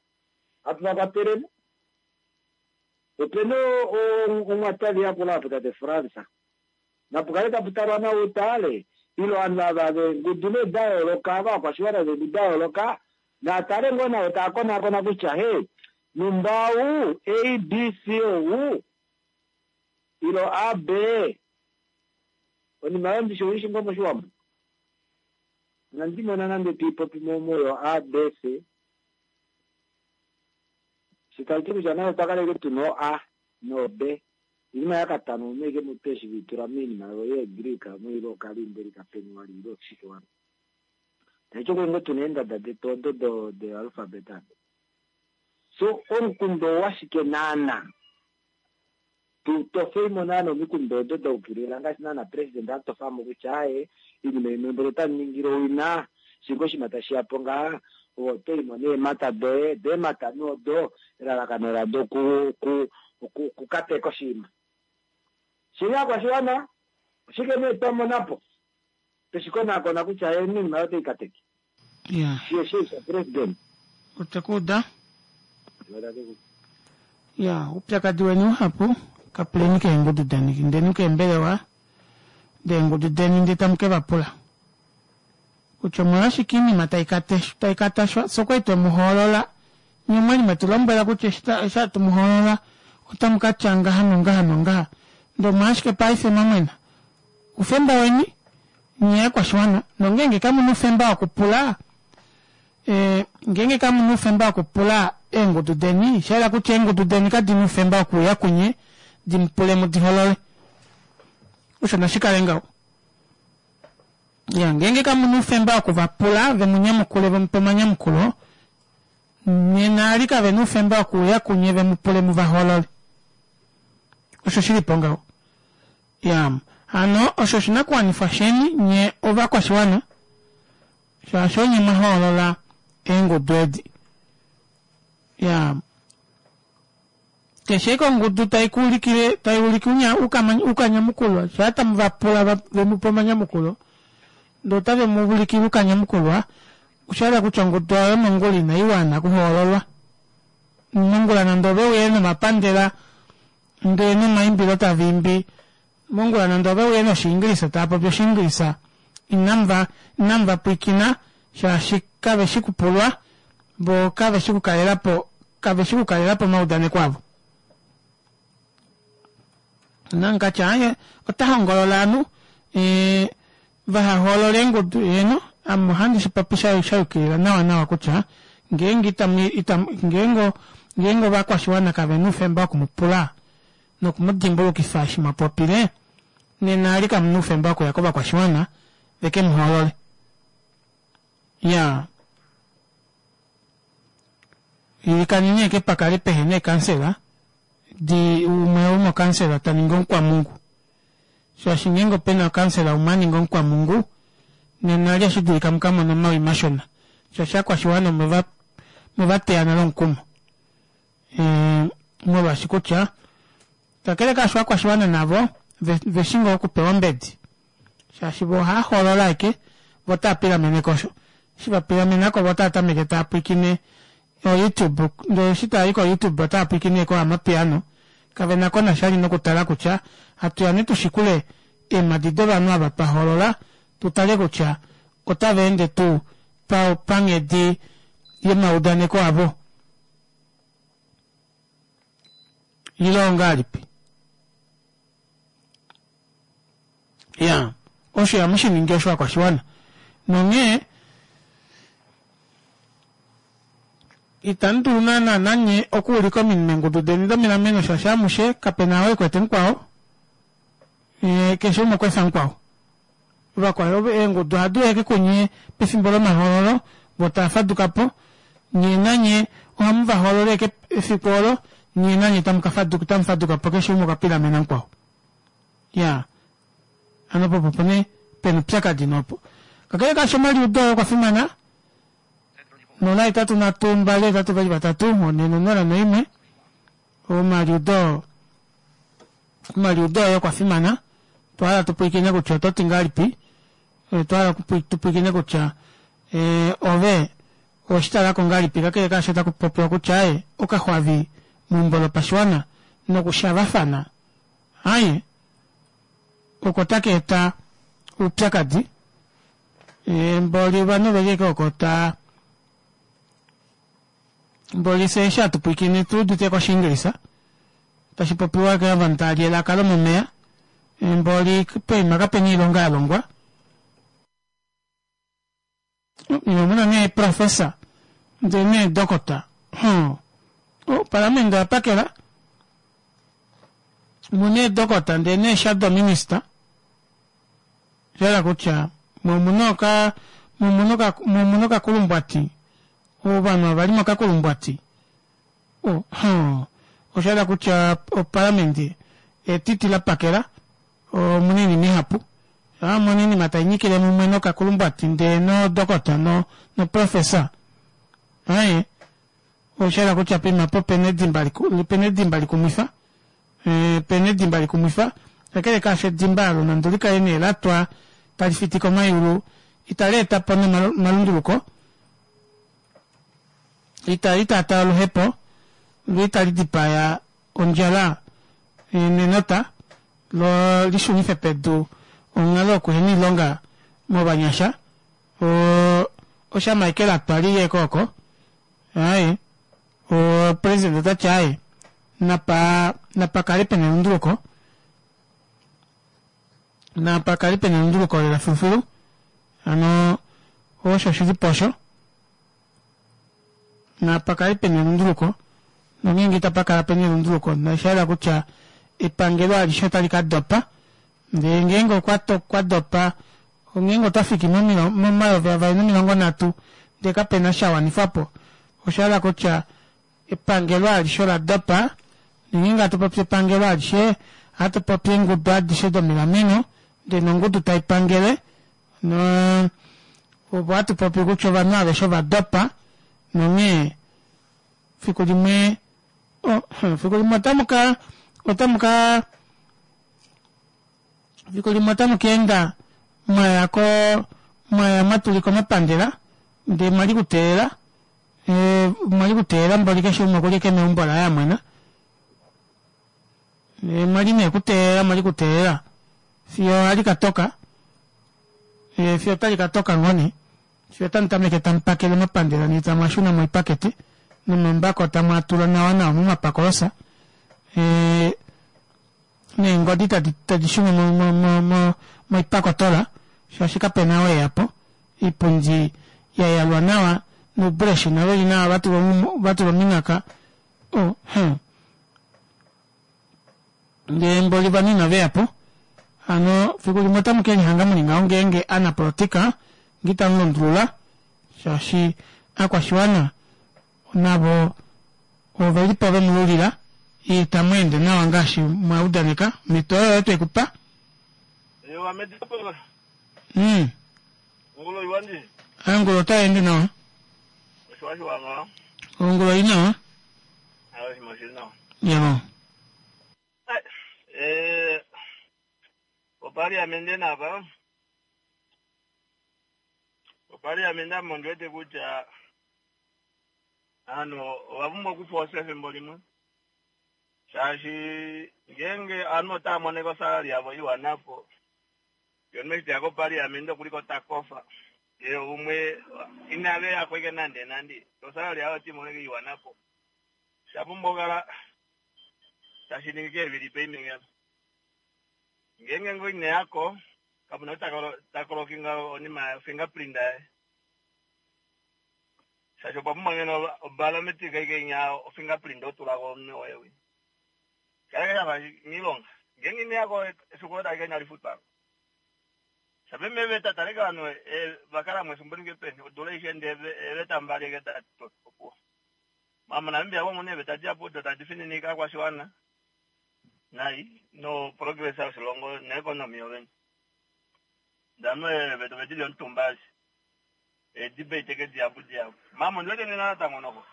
hatu va kwatele mo. Opena omwatali akula apo tate Frans Napu kale tapu talwa nawa utale, ile ovanhu ava veengudu nee da yooloka, ava ovakwashiwana veengudu da yooloka, naa tale ngoo navo taa konaakona kutya he, numba ou, A, B, C ou, ilo A, B, onima oyo ndishi oishi ngoo moshiwambo? Inandi mona nande to i popi mo moyo A, B, C. Shi tashi ti kutya naye otwa kala ashike tu na o-A no-B. Oinima yakatano omo aike mutwe eshi ve i tula moinima yeeGreek omo ile okaliindeli kapeni wali ile oshike wali. Taiti okwe ngoo tuna eendada detu odo do de alphabet ado. So omukundu owashike naana? Tu tofeimo naana omikundu odo da ukilila ngaashi naana president a tofamo kutya aaye iinima imwe mboli otamu ningile owina shinga oshinima tashi yapo ngaha ove oto imo neemhata doye, do eemhata nee odo elalakano lado ku ku okukateka oshinima. Shili aakwashiwana, oshike nee twa mona po? Tweshi konaakona kutya oinima oyo otai kateke. Ya. Shi eshi sha president. Otwe ku uda. Ya, oupyakadi weni uhapu, ka puleni keengudu deni, indeni keembelewa deengudu deni ndee tamu ke va pula kutya omolwashike iinima tai tai katashwa. Fye okwali twe mu hoolola, nye omwali mwe tu lombwela kutya eshi eshi hatu mu hoolola otamu ka tya ngaha nongaha nongaha, ndee omolwashike paife mwa mwena? Oufemba weni nye aakwashiwana, nongeenge kamu na oufemba wokupula e, ngeenge kamu na oufemba wokupula eengudu deni, sha yela kutya eengudu deni kadi na oufemba wokuuya kunye di mu pule mu di holole. Osho nashi kale ngaho. Ya, ngeenge kamu na oufemba woku va pula ve mu nyamukule ve mu pe omanyamukulo, nena ali kave na oufemba wokuuya kunye ve mu pule mu va hoolole. Osho shi li po ngaho. Ya, hano osho oshinakuwanifwa sheni nye ovakwashiwana, shaashi onye mwa hoolola eengudu edi. Ya, Keshe eke ongudu tai ku ulikile, tai ulike unya, ukanyamukulwa, shaa tamu va pula va, ve mu pe omanyamukulo, ndee otave mu ulikile ukanyamukulwa, osha yela kutya ongudu oyo mongula inai wana okuhoololwa. Mongula nande ove uye nomapandela ndee nomaimbilo tava imbi, mongula nande ove uye noshiingilisa tava popi oshiingilisa, inamu va, inamu va pwiikina shaashi kave shi kupulwa, vo kave shi kukalela po kave shi kukalela po omaudaneko avo. Nankatya aye ota hongolola ovanhu e, vaha hoolole eengudu heeno ame ohandi shi popi sha sha yukilila nawa nawa kutya ngeenge itamu itamu ngeenge ngeenge ovakwashiwana kave na oufemba woku mu pula noku mu dimbulukifa eshi mwa popile nena ali kamu na oufemba wokuya kovakwashiwana veke mu hoolole. Ya ilikaneni eke pa kale pehe na eekansela di umwe womokansela ta ningi omukwamungu shaashi ngeenge ope na okansela umwe a ninga omukwamungu nena ali ashi dulika mu ka mone omawi mashona shaashi aakwashiwana omwe va teya nale omukumo e, molwaashi kutya kakele kaasho aakwashiwana navo ve shi ngoo okupewa ombedi shaashi vo ohava hoolola ashike vo otava pilamene ko osho eshi va pilamena ko vo otava tameke tava pwiikine oYouTube ndele eshi tava yi koYouTube otava pwiikine koAmapiano kave na ko nasha li nokutala kutya hatu ya ne tu shikule eemhadi dovanhu ava twa hoolola tu tale kutya otava ende tuu panghedi yomaudaneko avo ile ongahelipi. Ya, osho ihamu shi ningi osho vakwashiwana. Nonghee, Itamu dulu naana nanye okuulika ominwe meengudu deni domilameno shaashi amushe kape na oo e kwete mukwao, ye keshe umwe okwa efa mukwao. Vakwao eengudu ohadi uya ashike kunye pefimbo lomahoololo vo tava faduka po, nye nanye ohamu va hoolola ashike efiku olo nye nanye tamu ka faduka tamu faduka po keshe umwe okwa pilamena mukwao. Iyaa hano opo opo nee pena oupyakadi nopo. Kakele kaasho omaliudo oye okwa fimana. 0 8 3 2 8 2 3 4 0 1 Omaliudo omaliudo oye okwa fimana. Otwa hala tu pwilikine kutya oto ti ngahelipi. Otwa hala tu pwilikine kutya eh, ove owe shi tala ko ngahelipi kakele kaasho taku popiwa kutya aye okaxwavi meumbo lopashiwana nokushavafana aye oko taka eta oupyakadi. Mboli ovanhu oveli ashike oko ta mboli fye eshi hatu pwilikine tu udite kOshiingilisa tashi popiwa ke ovanhu tava li elaka lomomeya mboli poima kapena oilonga ya longwa omuna nee professor ndee nee dokota opalamende oya pakela muna eedokota ndee nee shadow minister Osha yela kutya mo oka mo okakulumbwati ovanhu ava li mokakulumbwati osha yela kutya opalamende etiti la pakela omuna oinima ihapu amona oinima tai nyikile mumwe nokakulumbwati ndee nodokota no noprofessor aye osha yela kutya poima po pena edimba pena edimba likumwifa Pena edimba likumwifa, kakele kaasho edimba olo nande oli kale nee la twa tali fiti komayulu, itali eta po omalunduluko, itali taataa oluhepo, lo itali dipaya ondjala nenota, lo li shunife pedu onghalo yokuhena oilonga movanyasha. Osha ashike la twa li ye kooko. Aaye, opresident ota ti aaye, napa napa kale pena elunduluko, napa kale pena elunduluko lela filufilu. Hano osho shi li po osho. Napa kale pena elunduluko, nongeenge itapa kala pena elunduluko, osha yela kutya epangelo alishe otali ka dopa. Ndele ngeenge okwa okwa dopa, ngeenge otwa fiki mo2030 ndee kape na sha wanifwa po, osha hala kutya epangelo alishe ola dopa, nongeenge hatu popi epangelo alishe, ohatu popi eengudu adishe domilameno ndee nongudu tai pangele, no opo hatu popi kutya ovanhu aveshe ova dopa, nonghee fiku limwe, oh, fiku limwe otamu ka otamu ka Fiku limwe otamu ka enda mwa ya ko mwa ya mwa tulika omapandela ndee mwa li kuteelela mwa li kuteelela mboli keshe umwe okuli eke meumbo laye a mwena ndee mwa li nee kuteelela mwa li kuteelela fiyo hali ka toka fiyo otali ka toka ngoo nee fiyo otamu tameke tamu pakele omapandela ndee tamu a shuna moipakete nomambako tamu a tula nawa nawa momapakolosa neengodi tadi tadi shunwa mo mo mo mo moipakotola shaashi kapena oo eya po. Iipundi ya yalwa nawa nuubreshina veli nawa va tulwa va tulwa ominghaka oh huh. Ndee mboli ovanhu inave ya po. Hano fiku limwe otamu ke lihanga muli ngaho ngeenge aanapolotika nge itamu lundulula shaashi aakwashiwana navo ove li po ve mu lulila, itamu ende nawa ngaashi mwa udaneka. Omhito oyo oyo twe ku pa. Ewa medipolo. Ongulo iwa ndi. Ongulo otai ende nawa. Oshiwa shiwa nga. Ongulo oi nawa. Ayo shima oshili nawa. Yavo. Eh, opaliamende napa. Opaliamende ame ondi wete kutya Ovanhu ova pumbwa okufoosa efimbo limwe shaashi ngeenge ovanhu otava mono osalali yavo iwana po ye omunhu eshi teya kopaliamente okuli ko ta kofa ye umwe inave yako ashike nande nande osalali yaye ota imono ashike iwana po osha pumbwa okukala tashi ningi keevili payment ngeenge ngoo ineyako kapuna ou ta kolokinga onima fingerprint yaye. Shaashi opwa pumbwa ngeno obiometric aike inya ofingerprint otula ko omunwe woye wi. Kaleke shafa miilonga. Ngenge ine yako efiku olo tali ka inali futwa. Shape meeveta taleke ovanhu va kala mo efimbo lifike peni odula aishe ndee eeveta mbali eke da opuwo. Ma moNamibia omu muna eeveta dihapu odo tadi fininike aakwashiwana nai no progress yoshilongo noeconomy yovene. Ndee ovanhu eeveta ove di li omutumba ashi. Eedebate eke dihapu dihapu. Mama ondi wete nena natango noko.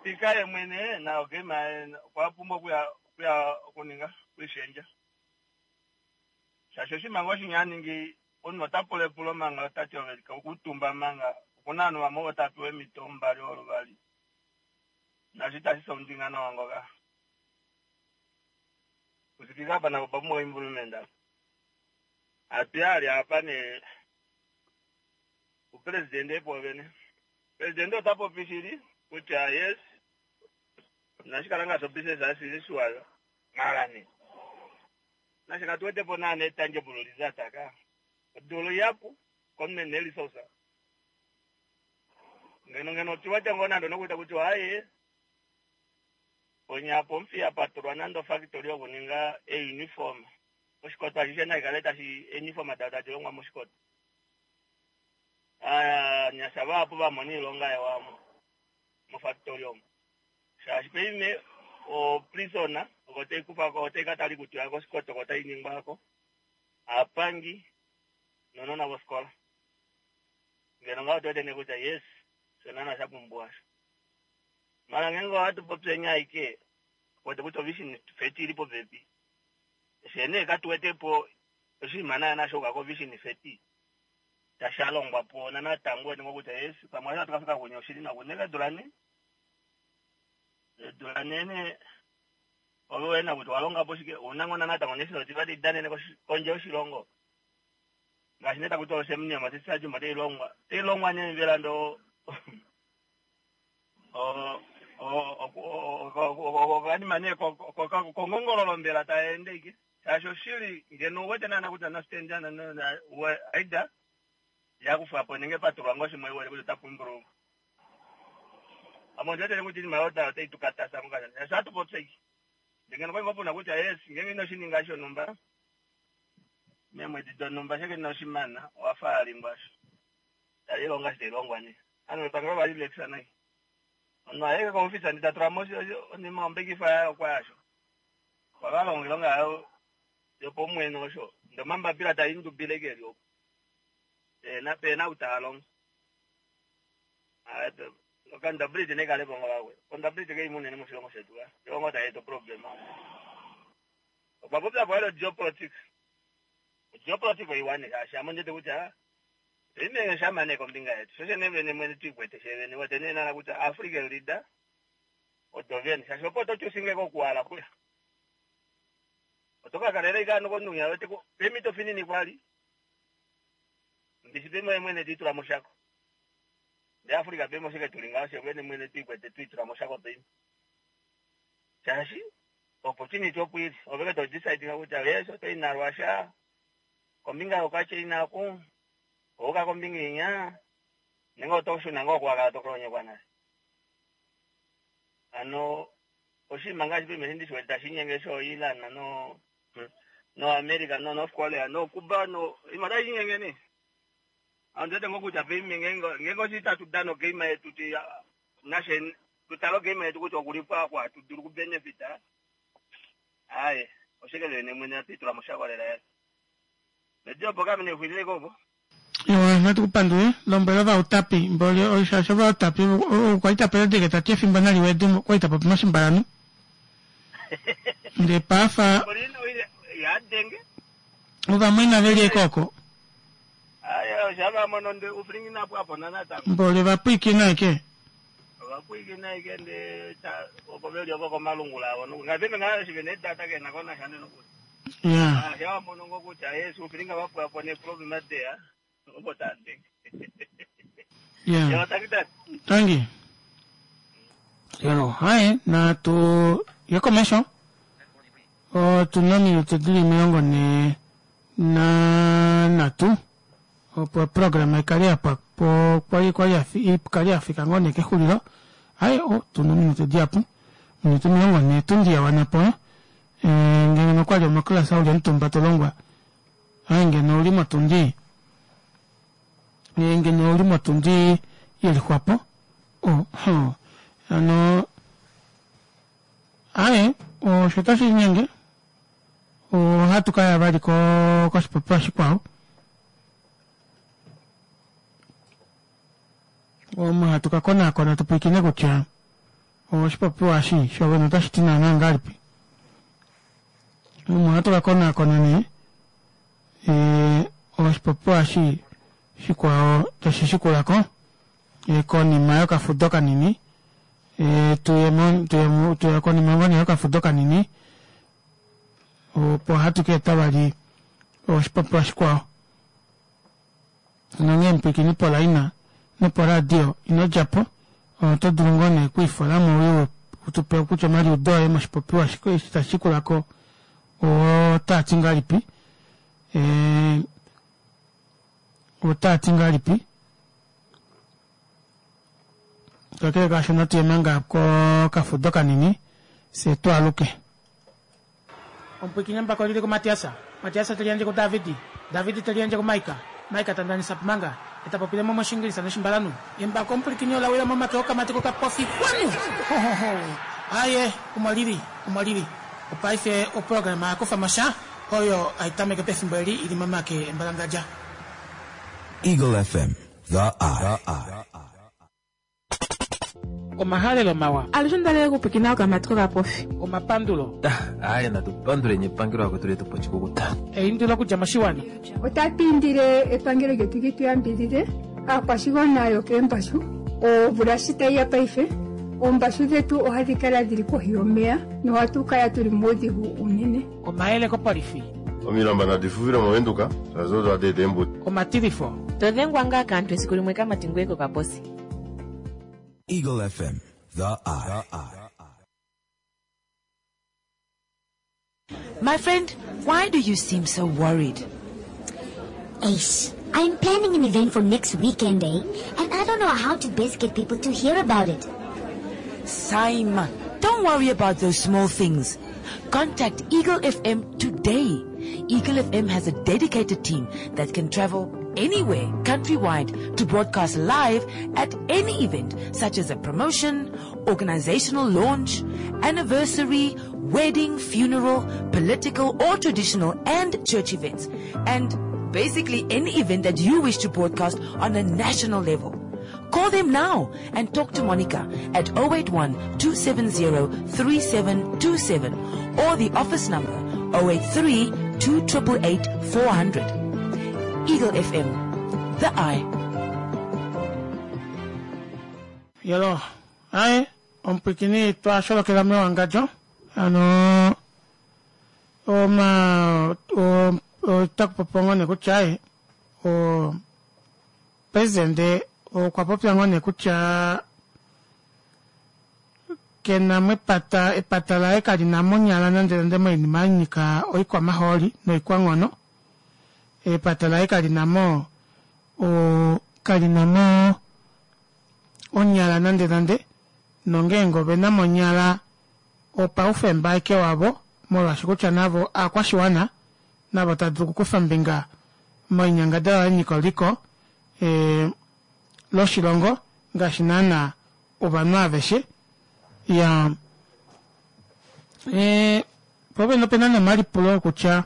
Speaker ye mwene nayo game yaye okwa pumbwa okuya okuya okuninga okuishendja. Shaashi oshinima ngoo shinya a ningi omunhu ota pula epulo manga ota ti ove kuutumba manga okuna ovanhu vamwe ovo tava pewa eemhito mbali oluvali. Naashi itashi soundinga nawa ngoka. Kusipika apa nako opa pumbwa improvement apa. Hatu ya apa nee kupresidente pwoovene. Presidente ota popi shili kutya yes inashi kala ngaashi obusiness as usual mara nee nashe katu wete po naana tangible result ka. Odula ihapu komunhu ena resource. Ngeno ngeno otu wete ngoo nande onokuita kutya aaye ponya apo Omuthiya pa tulwa nande ofactory yokuninga euniform. Oshikoto ashishe nai kale tashi euniform dao tadi longwa mOshikoto. Aanyasha vahapu va mona iilonga yawo mofactory omo. Shaashi paife oprison oko tai kufa ko otai ka tali kutya kOshikoto oko tai ningwa ko. Aapangi nounona vofikola. Ngeno ngaho otu wete nee kutya yes, osho naana sha pumbiwa osho. Mara ngeenge ohatu popi enya aike, wete kutya ovision feti ili popepi. Fye nee katu wete po oshinima naana sha yuka kovision feti tashi alongwa po natango wete ngoo kutya yes, pamwe eshi hatu ka fika kunya oshili nawa. Kunene eedula nhee, eedula nhee nee ove wena kutya owa longa po shike, ouna ngoo natango nefyo tiva tali danene kondje yoshilongo. Ngaashi nee taku tiwa oSem Nujoma Stadium otai longwa, otai longwa nee mbela ndoo okanima nee kongongololo mbela taa ende ike shaashi oshili ngeno uwete naana kutya nostand aida yakufwa po nenge patulwa ngoo shimwe uwete kutya otapu improve. Ame ondi wetele kutya oinima oyo otai tu katasa ngoo kashona shaashi ohatu popya ike ndee ngeno okwali ngoo puna kutya yes ngeenge ino shininga shonhumba meemwedi donhumba sheke inoshimana owafa alingwa osho tali longa eshi tai longwa nee. Ovanhu vepangelo ova relaxa nai. Omunhu aye koofisa ndee ta tula mo onima ombekifa yaye okwa yasho. Okwa ka longa oilonga yaye yopaumwene osho. Ndee omambapila taa indubile eke eli oku. Peena peena ou taa longo. Accountability nai kale po ngoo vakwetu. Accountability kai mo unene moshilongo shetu ka. Oyo ngoo tai eta oproblem. Okwa popya po vali ogeopolitics. Ogeopolitics oiwa nee shaashi ame ondi wete kutya Ime shama nee kombinga yetu, sho shene vene mwene tu ikwete fye vene, wete nee nana kutya African leader odo vene, shaashi opo oto chusinge kokuala kuya. Oto ka kalela ike ano komunhu winya wete ko, peemhito finini kwali, mbishi peme oye mwene te itula moshako. Ndee Africa peme oshike tuli ngaho fye vene mwene tu ikwete tu itula moshako peme. Shaashi opportunity opo ili, ove ke to decide kutya yes oto i naRussia, kombinga yokaChina oku, Ouka kombinga inya, nenge oto shuna ngoo kuwakala to kolonyekwa nale? Hano oshinima ngaashi paife eshi ndi shi wete tashi inyenge sho Iran no no America no North Korea no Cuba no oinima otai inyenge nee. Ondi wete ngoo kutya paife ngeenge ngeenge oshili tatu dana ogame yetu tu nashe tu tale ogame yetu kutya okuli po aku hatu dulu okubenefita, aaye oshike vene mwene hatu itula moshako lela lela. Ewa, natu ku pandule. Lombwela ovautapi mboli shaashi ovautapi okwa li ta predike ta ti efimbo nali wede okwa li ta popi moshimbalanu. Ndee paafa ovamwaina ve li eke oko. Mboli ovapwiikina eke. Ya. Ah, ya mono ngo kutya yesu ufilinga vapwa po ne problem ateya opo tande. Ya. Ya takitati. Tangi. Yo, haye natu ye komesho. Otu na ominute dili 43. Opo oprograma ikale ya pwa po kwali kwali ikale ya fika ngoo nee kexulilo. Aye o tuna ominute dihapu. Ominute 40 tundi ya wana po. Eh, ngeno nokwali omoklasa uli omutumba to longwa. Aye ngeno uli motundi. Eh, ngeno uli motundi yelixwapo. Oh, ho. Ano aye osho tashi linyenge. Ohatu ka ya vali koshipopiwa shikwao. Omo hatu ka konaakona tu pwilikine kutya oshipopiwa eshi shovene otashi ti naanaa ngahelipi. Omo hatu ka konaakona nee oshipopiwa eshi shikwao tashi shikula ko konima yokafudo kanini. Tuye tuye konima ngoo nee yokafudo kanini opo hatu ka eta vali oshipopiwa shikwao. Nonghee mupwilikini polaina noporadio ino dja po, oto dulu ngoo nee okwiifola mo uye u tu pe kutya omaliudo oye moshipopiwa eshi tashi shikula ko otaa ti ngahelipi. Otaa ti ngahelipi. Kakele kaasho natu ye manga kokafudo kanini fye tu aluke. Omupwiikini embako lili kuMatias, Matias te liyandje kuDavid, David te liyandje kuMaika, Maika ta ndanisa manga, e ta popile mo mOshiingilisa nOshimbalanhu. Embako omupwilikini ola wila momake okamati kokapofi xwanu! Hohoho! Aaye, omo lili, omo lili. Opaife oprograma ya kufa mo sha, oyo hai tameke pefimbo eli i li momake embalangadja. Eagle FM, the eye. Omahalelo mawa. Alushe onda lela okupwikina okamati kokapofi. Omapandulo. Aaye natu panduleni epangelo lakwetu letu po oshikukuta. Eindilo okudja moshiwana. Otatu indile epangelo lyetu li tu yambidhidhe aakwashigwana yokeembashu. Omvula shi tayi ya paife, oombashu dhetu ohadhi kala dhili kohi yomeya nohatu kala tuli muudhigu uunene. Omayele kopolifi. Omilamba nadi fufile mOvenduka, shaashi odo hadi eta eembudi. Omatilifo. To dhengwa ngaa kaantu esiku limwe kamati ngoye kokaposi. Eagle FM, the eye. My friend, why do you seem so worried? Ace, I'm planning an event for next weekend, eh? And I don't know how to best get people to hear about it. Simon, don't worry about those small things. Contact Eagle FM today. Eagle FM has a dedicated team that can travel anywhere countrywide to broadcast live at any event such as a promotion, organizational launch, anniversary, wedding, funeral, political or traditional and church events. And basically any event that you wish to broadcast on a national level. Call them now and talk to Monica at 081 270 3727 or the office number 083 2888 400. Eagle FM, the eye. Yelo, aye, omupwikini twa sholokela mewangadjo ano oma otaku popiwa ngoo nee kutya aye o presidente okwa popya ngoo nee kutya ke na mo epata, epata laye kali na mo onyala nande nande moinima ya nyika oikwamahooli noikwanghono. Epata laye kali na mo o kali na mo onyala nande nande, nongeenge ove na mo onyala opaufemba aeke wavo molwaashi kutya navo aakwashiwana navo tava dulu okukufa ombinga moinyangadalwa ya nyika oliko e, loshilongo ngaashi naana ovanhu aveshe ya e, po pene opena nomalipulo okutya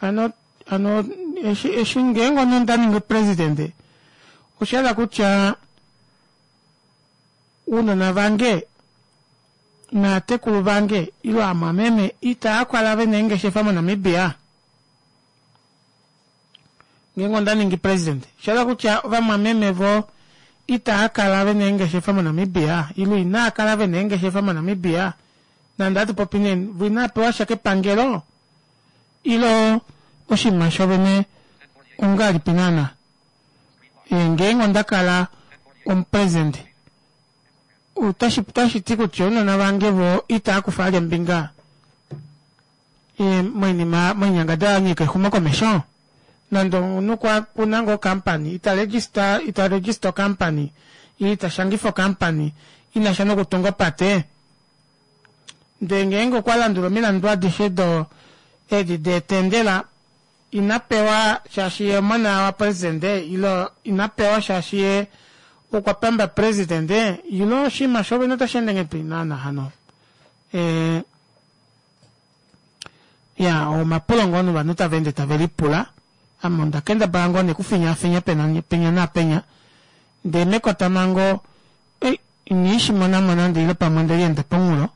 ano ano eshi eshi ngeenge omunhu onda ningi presidente osha hala kutya uunona vange naatekulu vange ilo aamwameme itaya kala ve na eengeshefa moNamibia? Ngeenge onda ningi president, osha hala kutya ovamwameme vo itaya kala ve na eengeshefa moNamibia ilo inaa kala ve na eengeshefa moNamibia? Nande hatu popi nee vo inaa pewa sha kepangelo ilo oshinima shovene ongahelipi naana? Ngeenge onda kala omupresident otashi otashi ti kutya ounona vange vo itava kufa vali ombinga moinima moinyangadalwa ya nyika exumokomesho? Nande omunhu kwa kuna ngoo okampani, ita register, ita register okampani, ile ita shangifa okampani i na sha nokutunga opate, ndee ngeenge okwa landula omilandu adishe do edi deetendela, ina pewa shaashi ye omona wapresidente ile ina pewa shaashi ye okwa pamba presidente ile oshinima shovene otashi ende ngahelipi naana hano? E, ya omapulo ngoo novanhu tava ende tave lipula. Ame onda kendabala ngoo nekufinyaafinya penya naapenya ndee mekotamhango ei inii shi mona mo nande ile pamwe onde lienda pomunghulo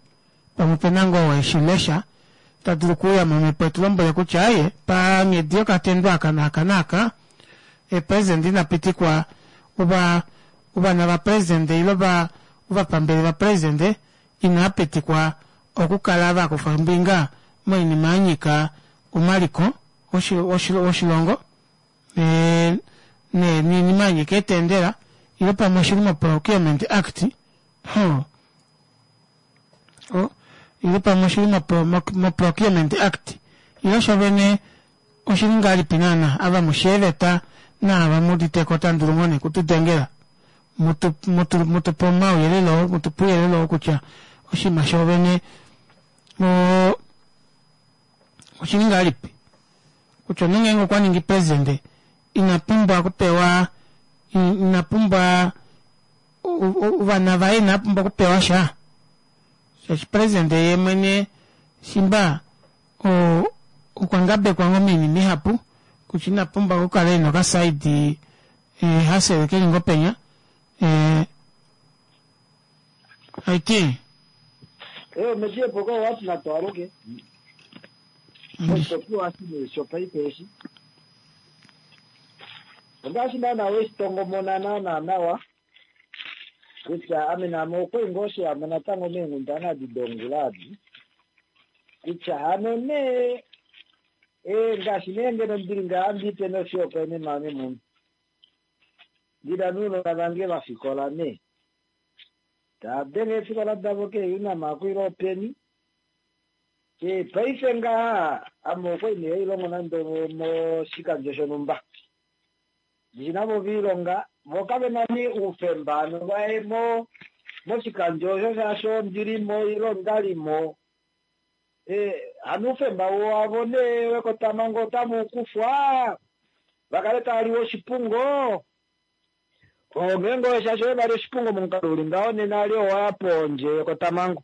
pamwe ope na ngoo oo eshi lesha ta dulu okuuya momhepo etu lombwele kutya aye panghedi yokatendo aka naaka naaka eepresidente ina pitikwa ova ovana vapresidente ile ova ovapambele vapresidente inaa pitikwa okukala va kufa ombinga moinima ya nyika omaliko oshilongo niinima ya nyika eetendela ile pamwe oshili moProcurement Act ile pamwe oshili moProcurement Act ile shovene oshili ngahelipi naana ava mu sheeveta naava mu uditeko otamu dulu ngoo nee kutudengela mutu mutu mutupe omauyelele oo mutupe ouyelele oo kutya oshinima shoovene oo oshili ngahelipi kutya omunhu ngeenge okwa ningi presidente ina pumbwa okupewa ina pumbwa ovana vaye inava pumbwa okupewa sha shaashi presidente ye mwene shimba okwa ngabekwa ngoo moinima ihapu kutya ina pumbwa okukala ena okasaidi eh, hasele keli ngoo penya eh, aiti Eh, meshie poko watu na twaruke. Oshipopiwa shi shopaife eshi. Ongaashi naana weshitongomona naana nawa kutya ame naame okwali ngoo sheyamo natango meenghundana adi dongula adi kutya hano nee ee ngaashi nee ngeno ndili ngaha ndipe noshihopaenenwa ame mwene ndina nounona vange vafikola nee tava denge eefikola davo keeUnam aku ile openi ee paife ngaha ame okwali nee hailongo nande moshikandjo shonhumba Ndishi navo oviilonga, vo kave na nee oufemba hano vaye mo moshikandjo osho shaashi ondi li mo ile onda li mo. E, hano oufemba wavo nee wekotamhango otamu u kufwa va kale tava liwa oshipungo? Oo ngeenge oye shaashi oye va li oshipungo momukalo u li ngaho nena ali owa ya pondje yekotamhango.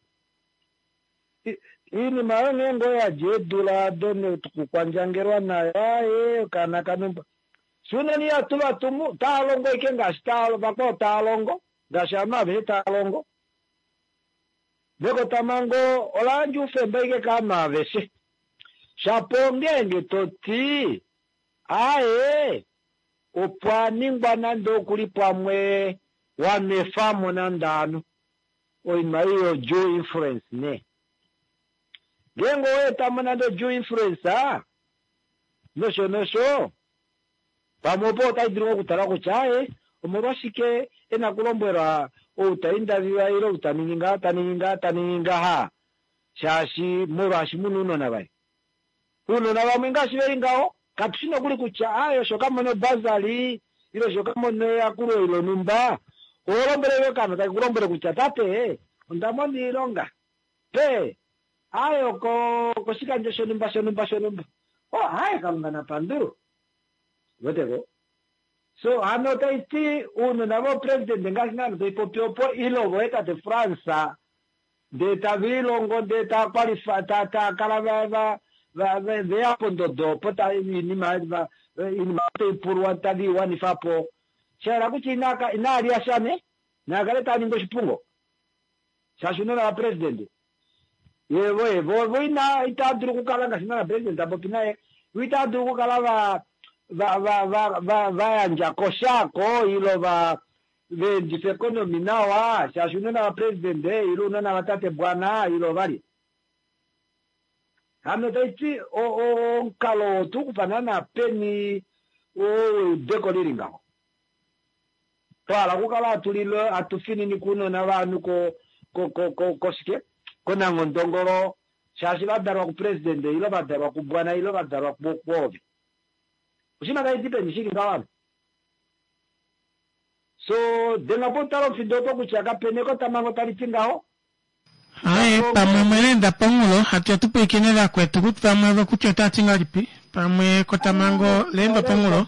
Iinima oyo ngeenge oya dja eedula ado nokukwandjangelwa nayo, aaye, okaana kanumba. Fye unene ihatu va tumu, otava longo ashike ngaashi vakwao tava longo, ngaashi ovanhu aveshe tava longo. Mekotamhango ola yandja oufemba ashike kovanhu aveshe. Shapo ongeenge to ti, aaye, opwa ningwa nande okuli pamwe wa nwefa mo nande ovanhu. Oinima ei yo due influence nee. Ngeenge owa eta mo nande due influence nosho nosho, pamwe opo otai dulu ngoo okutalwa kutya aaye, omolwashike e na okulombwelwa ou ta indaviwa ile ou ta ningi ngaha, ta ningi ngaha, ta ningi ngaha, shaashi molwaashi mu na ounona vaye. Ounona vamwe ngaashi ve li ngaho, katu shi nokuli kutya aaye osho ka mona obasali ile osho ka mona eyakulo ile onhumba. Oho lombwele ashike okaana take ku lombwele kutya tate, onda mona oilonga. Pe, aaye oko koshikandjo shonhumba shonhumba shonhumba. Oh, aaye Kalunga na pandulwe. Uwete ko? So, hano otai ti ounona voopresidente ngaashi naana tai popi opo ile ovo tate Frans ndee tava ilongo ndee tava qualify ta ta kala va va va ve ya pondodo opo ta iinima va iinima tai pulwa tave i wanifa po. Sha yela kutya inaa inaa lya sha nee, naa kale taa ningi oshipungo shaashi unona vapresidente ye vo ye vo vo ina itaa dulu okukala ngaashi naana president ta popi naye vo itaa dulu okukala va va va va va va yandja ko sha ko ilo va va endifa economy nawa shaashi unona vapresident ilo unona vatate bwana ilo valye. Hano tai ti omukalo oo oto u kufa naana peni oo weudeko li li ngaho? Twa hala okukala hatu lile hatu fininike ounona vovanhu ko ko ko ko koshike konanghondongolo shaashi va dalwa kupresidente ile va dalwa kubwana ile va dalwa kwoove. Oshinima tashi di peni shili ngaho hano? So, denga po tala omufindo opo kutya kapena ekotamhango tali ti ngaho. Aye, pamwe omweleenda pomunghulo, hatu ya tu pwilikine vakwetu kut vamwe ovo kutya otava ti ngahelipi. Pamwe ekotamhango leendwa pomunghulo.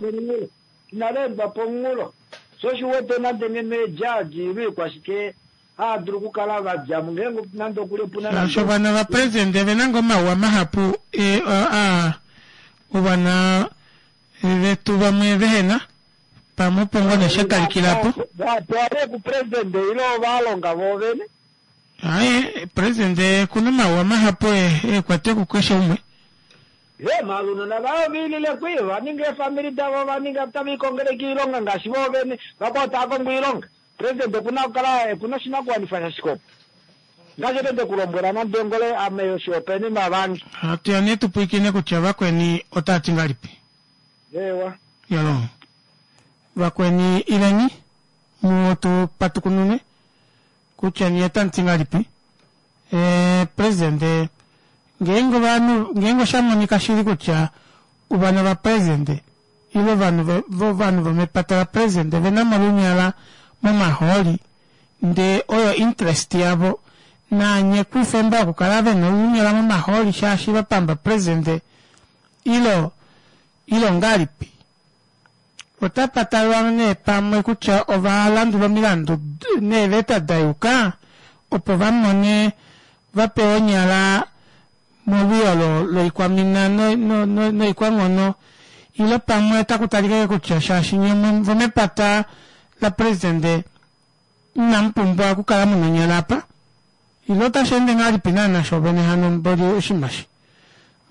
Inali endwa pomunghulo. Sho osho u wete nande ngeno eejudge ile oikwashike hava dulu okukala va dja mo ngeenge nande okuli opu na Shaashi nande ovana vapresidente ove na ngoo omauwa mahapu e, a, ovana vetu vamwe vehe na. Pamwe opo ngoo nee sha talikila po. Va pewa nee kupresidente ile ova longa voovene. Aye, presidente oku na omauwa mahapu e, e kwete kukeshe umwe. Ye, maala ounona vaye ove ilile kwi, ova ninga eefamili davo, ova ninga otave likongele oilonga ngaashi voovene, vakwao tava kongo oilonga. President oku na okukala oku na oshinakuwanifwa shashike opo? Ngaashi ete nde ku lombwela nande ngole ame oshihopaenenwa vange. Hatu ya nee tu pwilikine kutya vakweni otava ti ngahelipi. Eewa. Yalo. Vakweni ileni mu tu patukunune kutya nye otamu ti ngahelipi. Eh, presidente ngeenge ovanhu ngeenge osha monika shili kutya ovana vapresidente ile ovanhu vovanhu vomepata lapresidente ve na mo olunyala momahooli ndee oyo interest yavo naanye kuufemba wokukala ve na olunyala momahooli shaashi va pamba presidente ilo ilo ongahelipi? Otapa talwa nee pamwe kutya ova landula omilandu neeveta da yuka opo va mone va pewe onyala molwiyo loikwamina noikwanghono ile pamwe otaku talika ashike kutya shaashi nye vomepata lapresidente inamu pumbwa okukala mu na onyala apa ile otashi ende ngahelipi naana shoovene hano mboli oshinima eshi.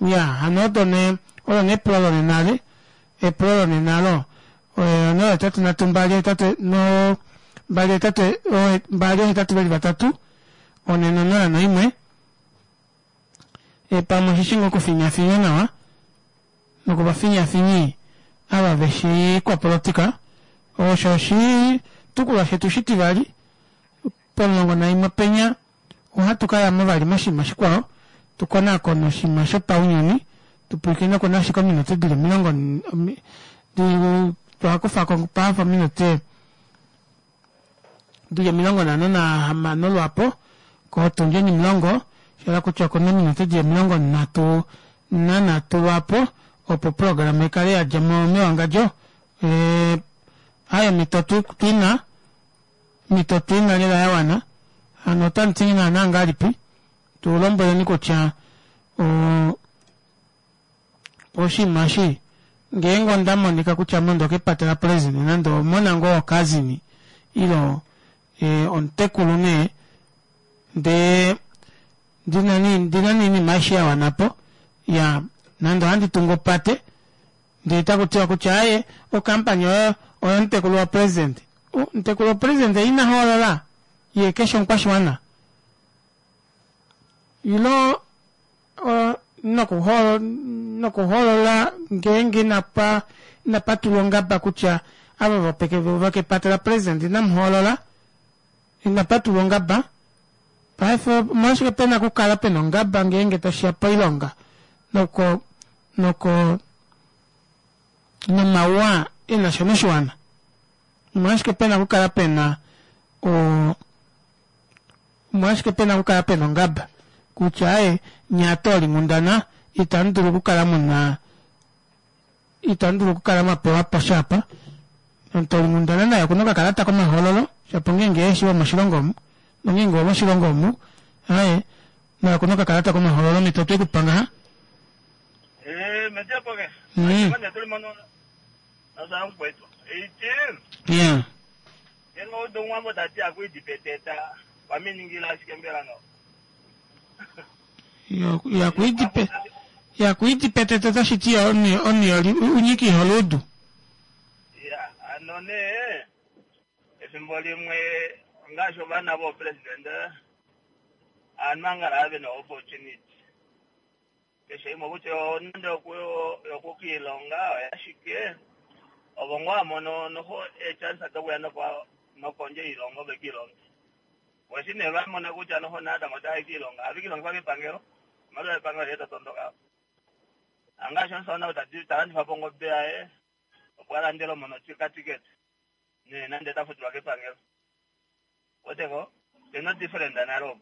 Ya hano odo nee olo nee epulo lonena le epulo lonena lo 0 3 2 8 no 2 8 2 8 veli vatatu 4 0 1 E, pamwe oshe shi ngoo okufinyafinya nawa nokuvafinyafinyi ava ve shii ikwapolotika. Osho oshitukulwa shetu shitivali pomulongo naimwe penya ohatu ka ya mo vali moshinima shikwao tu konakone oshinima shopaunyuni tu pwilikine oku na ashike ominute di li omilongo di twa kufa ko pahafa ominute dili 56 lwapo kotundi onimulongo, sha hala kutya okuna ominute dili 33 lwapo opo oprograma ikale ya dja mo mewangadjo. E, aye omhito twina, omhito otwina lela ya wana. Hano otamu ti naana ngahelipi? Tu lombweleni kutya o, Oshinima eshi ngeenge onda monika kutya ame ondo kepata la president nande omona ngoo wo cousin ilo omutekulu nee ndee ndina nee ndina nee oinima aishe ya wanapo ya nande ohandi tungu opate ndee taku tiwa kutya aaye o company oyo oyo mutekulu wa president omutekulu wa president ina hoolola yee keshi omukwashiwana ilo nokuhoolola ngeenge inapa inapa tulwa ongaba kutya ava vopeke vokepata lapresident inamu hoolola inapa tulwa ongaba paife omolwashike pena okukala pena ongaba ngeenge tashi ya poilonga noko noko nomauwa e na sha noshiwana omolwashike pena okukala pena o Omolwashike pe na okukala pe na ongaba kutya aye nye aatoolinghundana itamu dulu okukala mu na itamu dulu okukala mwa pewa po sha apa? Omutoolinghundana naye oku na okakalata komahoololo shapo ngeenge ehe shi womoshilongo omu nongeenge owomoshilongo omu aye naye oku na okakalata komahoololo omhito otwe ku pa ngaha. Eh, metepo ke. Yeah. Ngeenge owa udu omuwambo ta ti akuidi peteta, waminingila ashike mbela ngaho. Yakuidi pe yakuidi peteta otashi ti omunhu unyika iholuudu. Ya, hano nee efimbo limwe ngaashi ovana voopresidente aanhu angala ve na opportunity Keshe imwe kutya nande oyokukiilonga oyashike, ovo ngoo ha mono noho eechance dokuya nokondje yoilongo ve kiilonge. Vo eshi nee va mona kutya noho natango otava i kiilonga, ohave kiilongifwa kepangelo, oimaliwa yepangelo ihe ta tondoka. Hangaashi omusamane ou ta landifa po ongobe yaye. Opo a landele omona okatikete nee nande ta futilwa kepangelo. Weteko? Pe na odifferent nale opo.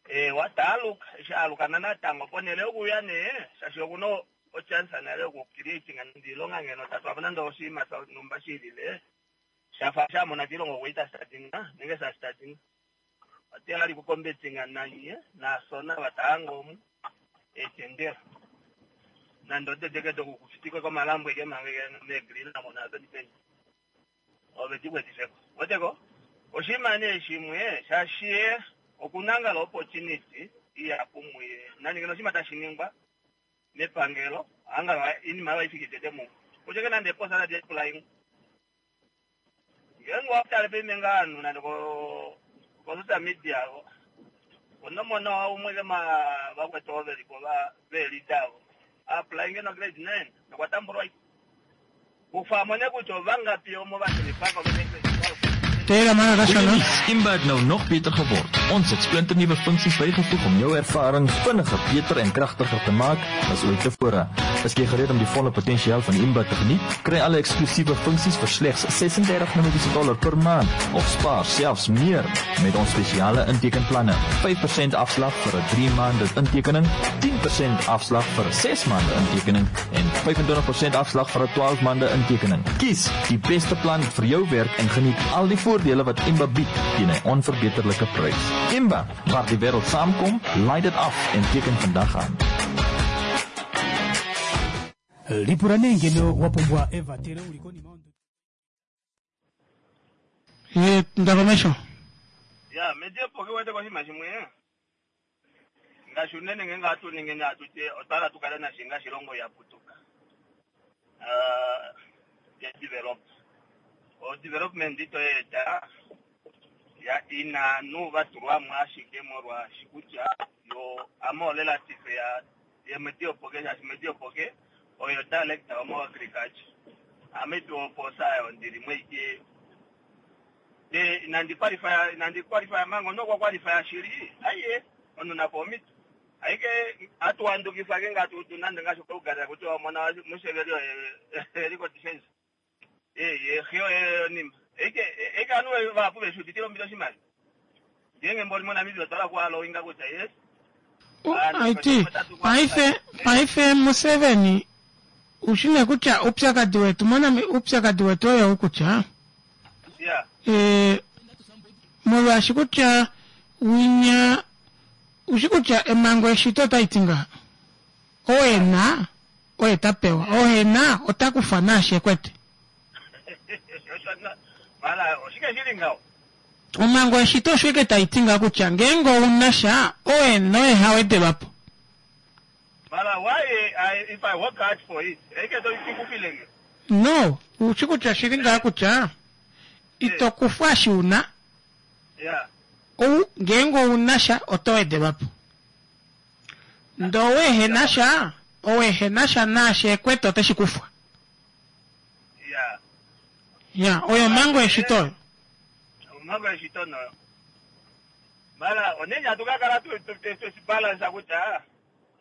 Eewa, ta aluka. Eshi a aluka nanatango, ponhele yokuuya nee, shaashi oku na ochance nale yoku creating nande oilonga ngeno ta tula po nande oshinima shonhumba shi ilile, sha fa sha mona kiilongo okwe ita startinga nenge sha startinga. Ote ali ku competinga nanye naasona ava ta hanga omu eetendela. Nande odede ke doku kufitikwe komalambo eke manga eke meegreen amo naapeni peni. Ove di kwetife ko. Weteko? Oshinima nee shimwe, shaashi ye oku na ngalo opportunity ihapu muye. Nani ngeno oshinima tashi ningwa mepangelo, angalo oinima oyo haifiki tete mumwe. Kutya ke nande eposa tadi applyingwa. Ngeenge owa tale paife ngaa ovanhu nande ko ko social media onomona umwe kema vakwetu ovo veli po va veelida avo apply ngeno grade 9 nokwa tambulwa kufa mone kutya ovangapi omo va shilipako vene grade 12. Simba het nou nog beter geword. Ons het splinternuwe funksies bygevoeg om jou ervaring vinniger, beter en kragtiger te maak as ooit tevore. Is jy gereed om die volle potensiaal van Imba te geniet? Kry alle eksklusiewe funksies vir slegs 36 Namibiese dollar per maand of spaar selfs meer met ons spesiale intekenplanne. 5% afslag vir 'n 3 maande intekening, 10% afslag vir 'n 6 maande intekening en 25% afslag vir 'n 12 maande intekening. Kies die beste plan vir jou werk en geniet al die voordele wat Imba bied teen 'n onverbeterlike prys. Imba, waar die wêreld saamkom, laai dit af en teken vandag aan. Lipula nee ngeno wa pumbwa evatelo uli konima yondo. Ye Ndakomesho. Ya, medi opo ke wete koshinima shimwe ngaashi unene ngeenge ohatu ningi nee hatu ti otwa hala tu kale nashi ngaashi ilongo ya putuka uh, ya develop o development ito eta ya ina ovanhu va tulwa mo ashike molwaashi kutya yo ame orelative ya yemwedi yopoke shaashi mwedi yopoke oyo director womo agriculture ame tu oposa ayo ndili mweike de inandi qualify inandi qualify manga omunhu okwa qualify shili aiye omunhu napo omito aike atuwandukifa ke ngatu tu nande ngaashi koUganda kuti wamona Museveni oye eli ko defense ye xe oye onima aike aike ovanhu vahapu veshi uditile ombili oshimaliwa ngeenge mboli moNamibia otwa hala kuhalowinga kutya yes Aiti, paife paife Museveni ushi nee kutya oupyakadi wetu mOnami oupyakadi wetu oyo kutya yeah. e, molwaashi kutya winya ushi kutya emango eshito otai ti ngaha oo e na oye ta pewa oo e na ota kufa naashi e kwete Mara oshike shili ngaho Omhango yeshito osho ike tai ti ngaho kutya ngeenge ou na sha, oo e na oye ha wedelwa po. Mara why I, if I work hard for it, eike to ikufile nge. No, u shi kutya oshi li ngaho kutya ito kufwa eshi u na. Yeah. Ou ngeenge ou na sha oto wedelwa po. Ndee ou ehe na sha, ou ehe na sha naashi e kwete ote shi kufwa. Yeah. Ya, oyo omhango yeshito oyo. Omhango yeshito noyo. Mara onene hatu ka kala tu tu tu tu balance kutya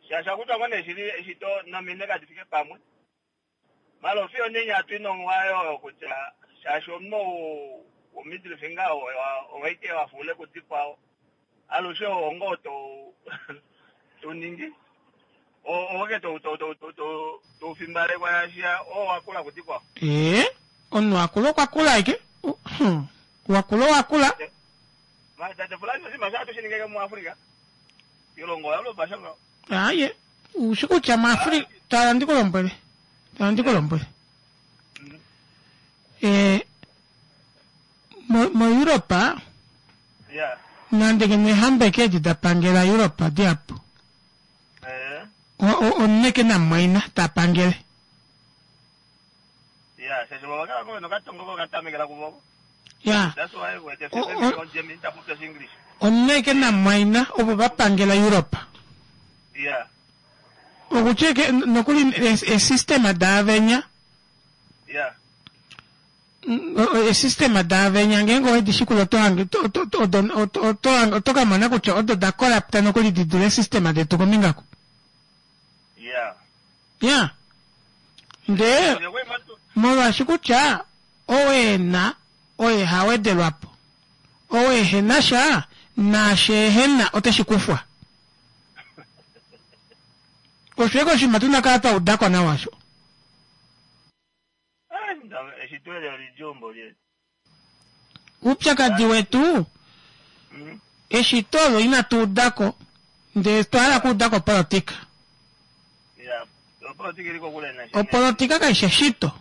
shasha kutya ngone shili eshito nomine kadi fike pamwe. Mara ofiyo onene hatu inongwa oyo kutya shaashi omunhu wo middle finger owaike wa fule kudikwao. Alushe ongo to to ningi oke to to to to to to fimbalekwa yasha o wakula kudikwao. Ee, omunhu akula okwa kula aike. Wakula owakula. Tate Fulani oshinima sha hatu shi ningeke muAfrika. Ilongo oya loba sha ngaho. Aye, ushi kutya muAfrika tala ndi ku lombwele. Tala ndi ku lombwele. Eh mo mo Europa Yeah. nande ngeno eehamba eke edi da pangela Europa dihapu. Eh. Omunhu eke namumwaina ta pangele. Ya, shaashi vo vakala ko nokatongo ko katamekela kuvo. Ya. That's why we the family on Germany ta popya English. Omunhu eke namumwaina ovo va pangela Europa. Ya. Okutya eke nokuli esystema daavenya. Ya. Esystema daavenya ngeenge owedi shikula oto hange oto oto ka mona kutya odo da corrupta nokuli di dule esystema detu kombinga ku. Ya. Ya. Ndee Molwaashi kutya ou e na oye ha wedelwa po, ou ehe na sha, naashi ehe na ote shi kufwa. Osho eke oshinima tu na kala twa uda ko nawa osho. Eshito eli olidjuu mboli. Oupyakadi wetu eshito olo inatu uda ko ndele otwa hala okuuda ko opolotika. Ya, opolotika ili kokule na Opolotika kai shi eshito.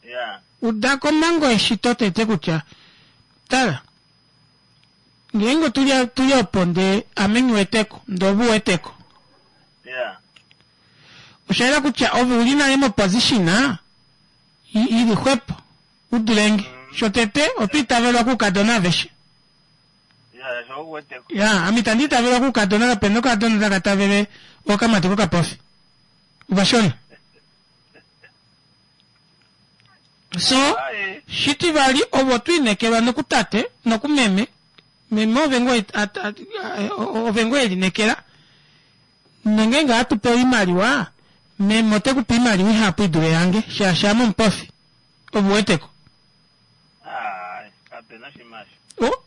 Ya. Uda ko omhango yeshito tete kutya tala ngeenge otuli tuli opo ndee ame nghi weteko ndee ove u weteko. Ya. Osha yela kutya ove uli nale moposition ili xwepo u dulenge. Shotete otwa itavelwa koukadona aveshe. Ya, ame itandi itavelwa koukadona kapena okadona taka tavele okamati kokapofi. Ovashona. So, shitivali ovo twa inekelwa nokutate nokumeme, meme ove ngoo ove ngoo elinekela. Nongeenge ohatu pewa oimaliwa, meme ote ku pe oimaliwa ihapu i dule yange, shaashi ame omupofi. Ove uweteko? Aai, kape na oshinima osho. O,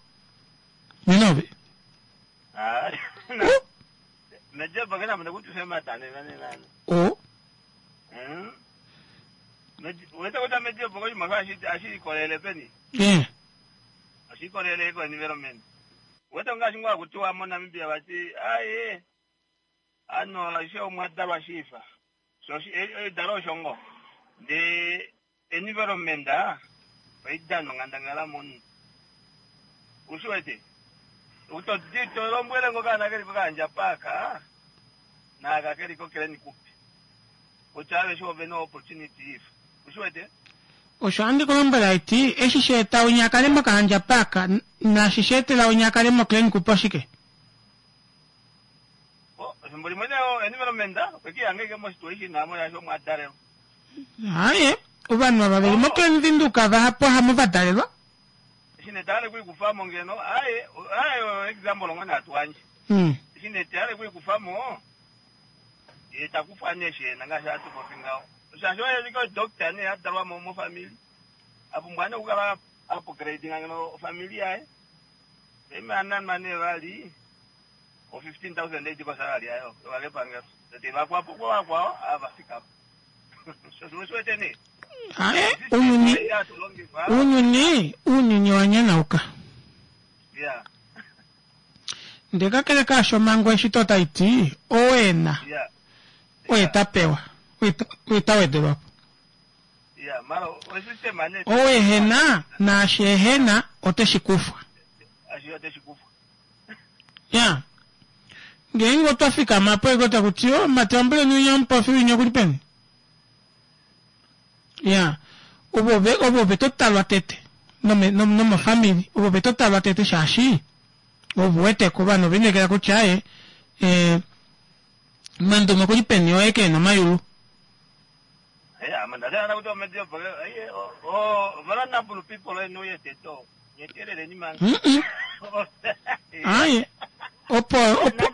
nena ove. Aai, O, Mejepo ke na mune kuti femata nena nena. o, Uwete kutya mejepo oshinima osho ohashi ikolele peni? eh, Ohashi ikolele ko environment. Uwete ngaashi ngoo haku tiwa moNamibia vati, aaye, ano aishe omwa dalwa shiifa. Sho edalo osho ngoo. Ndee environment oyi dana onghandangala momunhu. Ushi wete? Utoti to lombwele ngo kaana keli kOkahandja Park naaka keli koKlen Kupe kutya aveshe ove na opportunity ifa. Ushi wete? Osho handi ku lombwele haiti, eshi sha eta winya a kale mOkahandja Park naashi sha etela winya a kale moKlen Kupe oshike? Efimbo limwe nee environment okwe ki hanga ike mosituation amo shaashi omo a dalelwa. Aaye, ovanhu ava veli moKlen Windhoek vahapu hamo va dalelwa. Eshi nee taale kuikufamo ngeno, aaye, aaye oyo example ngoo nee hatu yandje. Eshi nee taale kuikufamo, ye ta kufwa nee eshi ena ngaashi hatu popi ngaho. Shaashi oye ike doctor nee a dalwa mo mofamili, a pumbwa nee okukala a upgradinga ngeno ofamili yaye. Paife a nanwa nee vali o 15,000 ei di kosalary yaye yoka kepangelo. Ndee teva kwapo vakwao ava va fika po. Sho osho wete nee. Ae, ounyuni, ounyuni, ounyuni owa nyanauka. Yeah. Ndee kakele kaasho omhango yeshito otai ti, ou e na, Yeah. oye ta pewa, oye ta wedelwa po. Yeah, mara osystem ane. Ou ehe na, naashi ehe na, ote shi kufwa. Ashi ote shi kufwa. Ya. Ngeenge otwa fikama po eko taku ti, oh, mati lombweleni winya omupofi winya okuli peni? Ya. Ovo ve, ovo ve to talwa tete. Nome, nomofamili. Ovo ve to talwa tete shaashi ovu weteko ovanhu ove lineekela kutya aye, eh, Mandume okuli peni oye ke na omayulu. Ya, mandadala kuti omedi opo, aye, o, o, vulnerable people eno yeteto. Nyeteleleni manga. Aye. Opo, opo,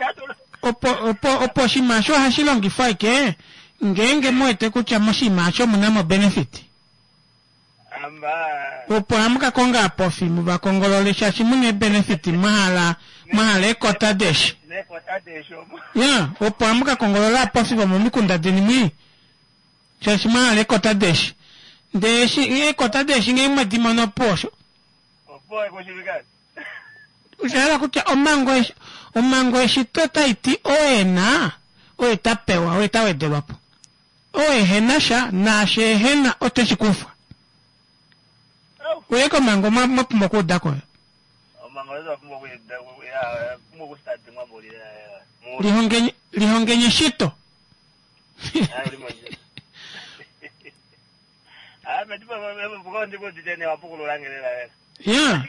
opo, opo, opo oshinima osho ohashi longifwa ashike ngeenge mu wete kutya moshinima osho omu na mo benefit. Opo hamu ka konga aapofi mu va kongolole shaashi mu na ebenefit mwa hala mwa hala eekota deeshi. Ya, opo hamu ka kongolola aapofi vomomikunda deni mwii shaashi mwa hala eekota deeshi. Ndee eshi eekota deeshi ngee mwe di mono opuwo osho. Osha hala kutya omhango omhango yeshito otai ti oo e na oye ta pewa oye ta wedelwa po. Oo ehe na sha, naashi ehe na ote shi kufwa. Oye komhango mwa mwa pumbwa okuuda ko. Lihongeni lihongeni eshito. Ya.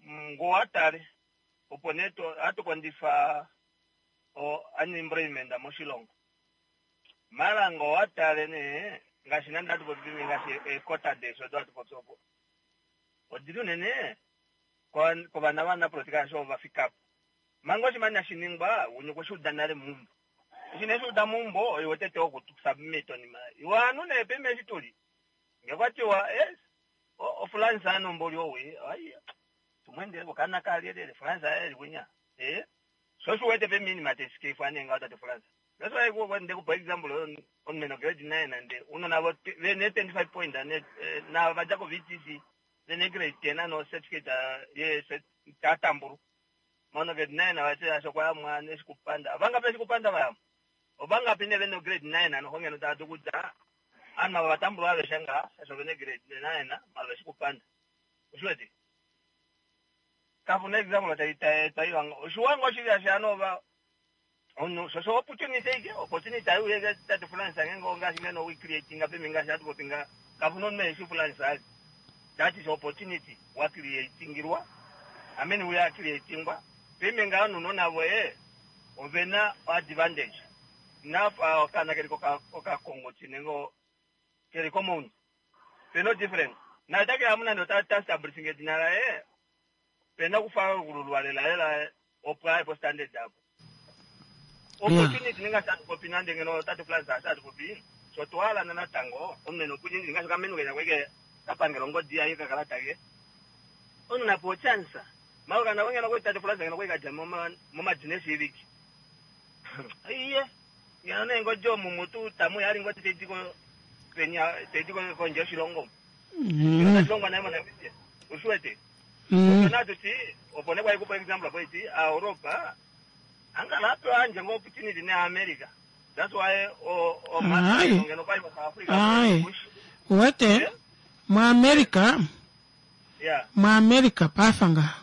Ngo wa tale opo nee hatu kondjifa o unemployment moshilongo. Mara ngo wa tale nee ngaashi nande hatu popi ngaashi eekota deeshi odo hatu popi opo odili unene kovana vanapolitika shaashi ovo va fika po. Manga oshinima inashi ningwa, wunye okwe shi uda nale meumbo. Eshi nee eshi uda meumbo, oye wotete woku submit onima. Iwe ovanhu nee paife eshi tuli, nge kwa tiwa, yes, oFrance ano mboli owi, ai, tumwendele okaana kalyelele, France aye eli kwinya. Ee, sho osho u wete paife oinima tai skeifwa nee ngaho tate France. That's why nde kupa example omunhu ena grade 9 nande unona vo vene 25 point ne na va dja ko VTC vene grade 10 no certificate ye tatambulu mono grade 9 vati asho kwa yamwa neshikupanda vangapi eshikupanda vayamwa ovangapi ne vene grade 9 ano hongeno tava dulu kutya ovanhu ava vatambulwa aveshe ngaha shaashi ovene grade 9 mala veshikupanda oshiwete kapu na example tai tai tai oshiwa ngoo shili ashi ano ova Omunhu sho osho opportunity ike, opportunity ayi uye ke tate Francis ngenge ongaashi ngeno we creatinga pemi ngaashi hatu popi nga kapuna omunhu eshi Francis ali. That is opportunity wa creatingilwa. I mean we are creatingwa. Pemi nga omunhu navo ye ovena advantage. Nafa okaana keli koka kokakongoti nenge keli komoundu. Pena difference. Na ota ke amu nande ota ta establishing edina laye pena okufalululwa lela lela opo aye po standard apo. Opportunity ninga hatu popi nande ngeno tate Francis hatu hatu popi sho twala na natango omunhu ena opportunity ngaashi okamenu kenya kweke kapangela ongodi yaye kakalata ke omunhu napewa ochance mara kana ngeno kwei tate Francis ngeno kwei kadja momadina eshiiviki iye ngeno nee ngodi omumu tuu tamu yali ngodi taidi ko penya taidi kondje yoshilongo ngeno tashi longwa naye moNamibia ushiwete Opo natu ti opo nee kwali kupa example apo iti aEuropa angala apewa anje ngo opportunity ne America that's why o o Ai. ngeno kwali ko South Africa Ai. Uwete muAmerica yeah muAmerica paife ngaha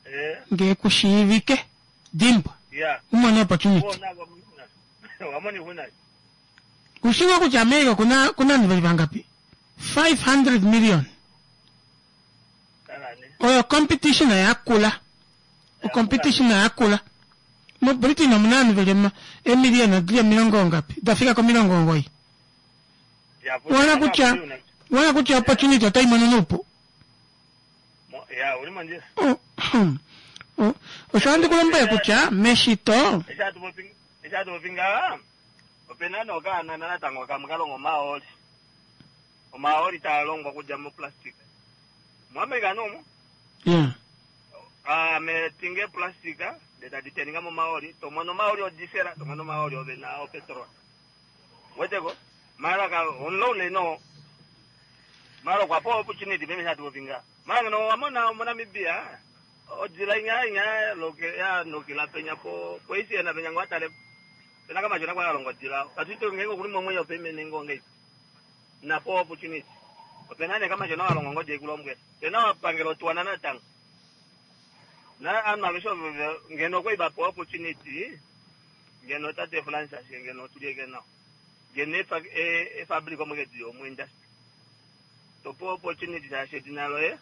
eh ngee kushiivike dimbwa yeah u mone opportunity. Wona wamoni huna Ushiwa kutya America kuna kuna vanhu veli vangapi? 500 million. Oyo competition yakula. O competition yakula. Mo Britain omuna vanhu veli emiliyona dili omilongo ngapi? Dafika komilongo omugoyi. Wona kutya wona kutya opportunity otai mono nuupu. ya uli mondjila Oh, osho handi kulombwele kutya meshito eshi hatu popi ngaha opena nokaana natango kamwe kalonga omahooli omahooli taa longwa okudja moplastic muAmerica nomo yeah. ame tinge plastic ndee tadi teninga momahooli tomono omahooli odisela tomono omahooli ovena opetrol weteko mara ka omulongo no mara okwa pewa opportunity peme hatu popi ngaha mara ngeno wamona moNamibia odila inya inya loke ya nokila penya po poisi na penya ngwatale pena kama jona kwa longo odila katuito ngenge kuli momwenyo peme nengo ngei na po opportunity opena ne kama jona walongo ngodi ikulombwe pena wapangelo tuwana natango na anhu aveshe ngeno kwei vapewa opportunity ngeno tate Francis ngeno tulieke nao ngeno efabrika omwekedi yomu industry topewa opportunity shaashi edina loye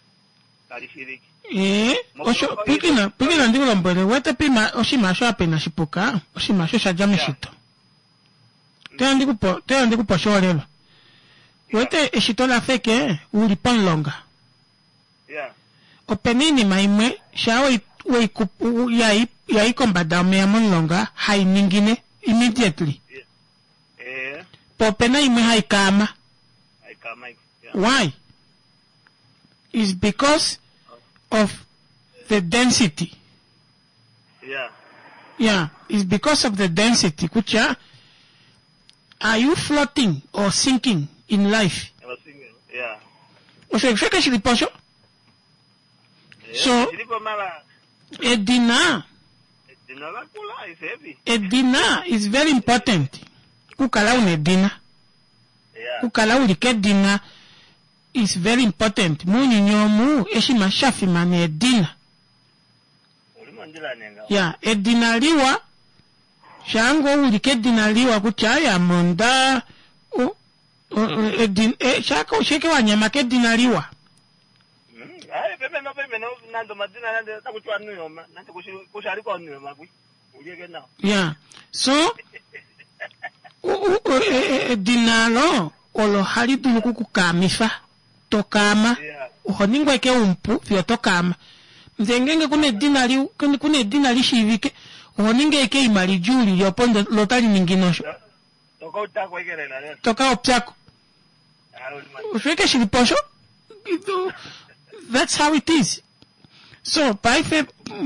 kali shiiviki Ee, osho pwikina pwikina ndikulombwele wete pima oshinima osho apa inashi puka oshinima osho sha dja meshito toya ndikupa oshiholelwa wete eshito la feke uli pomulonga yeah opena iinima imwe shaa yai kombada yomeya momulonga hai ningine immediately eh po opena imwe hai kaama aikama yeah why is because of the density yeah yeah is because of the density kutya are you floating or sinking in life I was thinking yeah osho sheke shilipo osho So- shilipo mara edina edina lakula is heavy edina is very important kukala una edina yeah kukala uli kedina is very important muunyuni omu oshinima sha fimana edina uli mondjila nenga ya edina liwa shaanga uli kedina liwa kutya aya monda edina sheke wanyama kedina liwa Hayi pemeno pemeno nando madina nande takutiwa nuyoma nande kushalikwa nuyoma kwi ulieke nao ya so edina lo olo hali dulu okukukaamifa tokaama oho ningwa eke umpu fiyo tokaama. Ndee ngeenge kuna edina li kuna edina li shiivike oho ningi ashike eima lidjuu lili opo lo otali ningine osho. Toka opyako. Osho eke shili po osho. That's how it is. So paife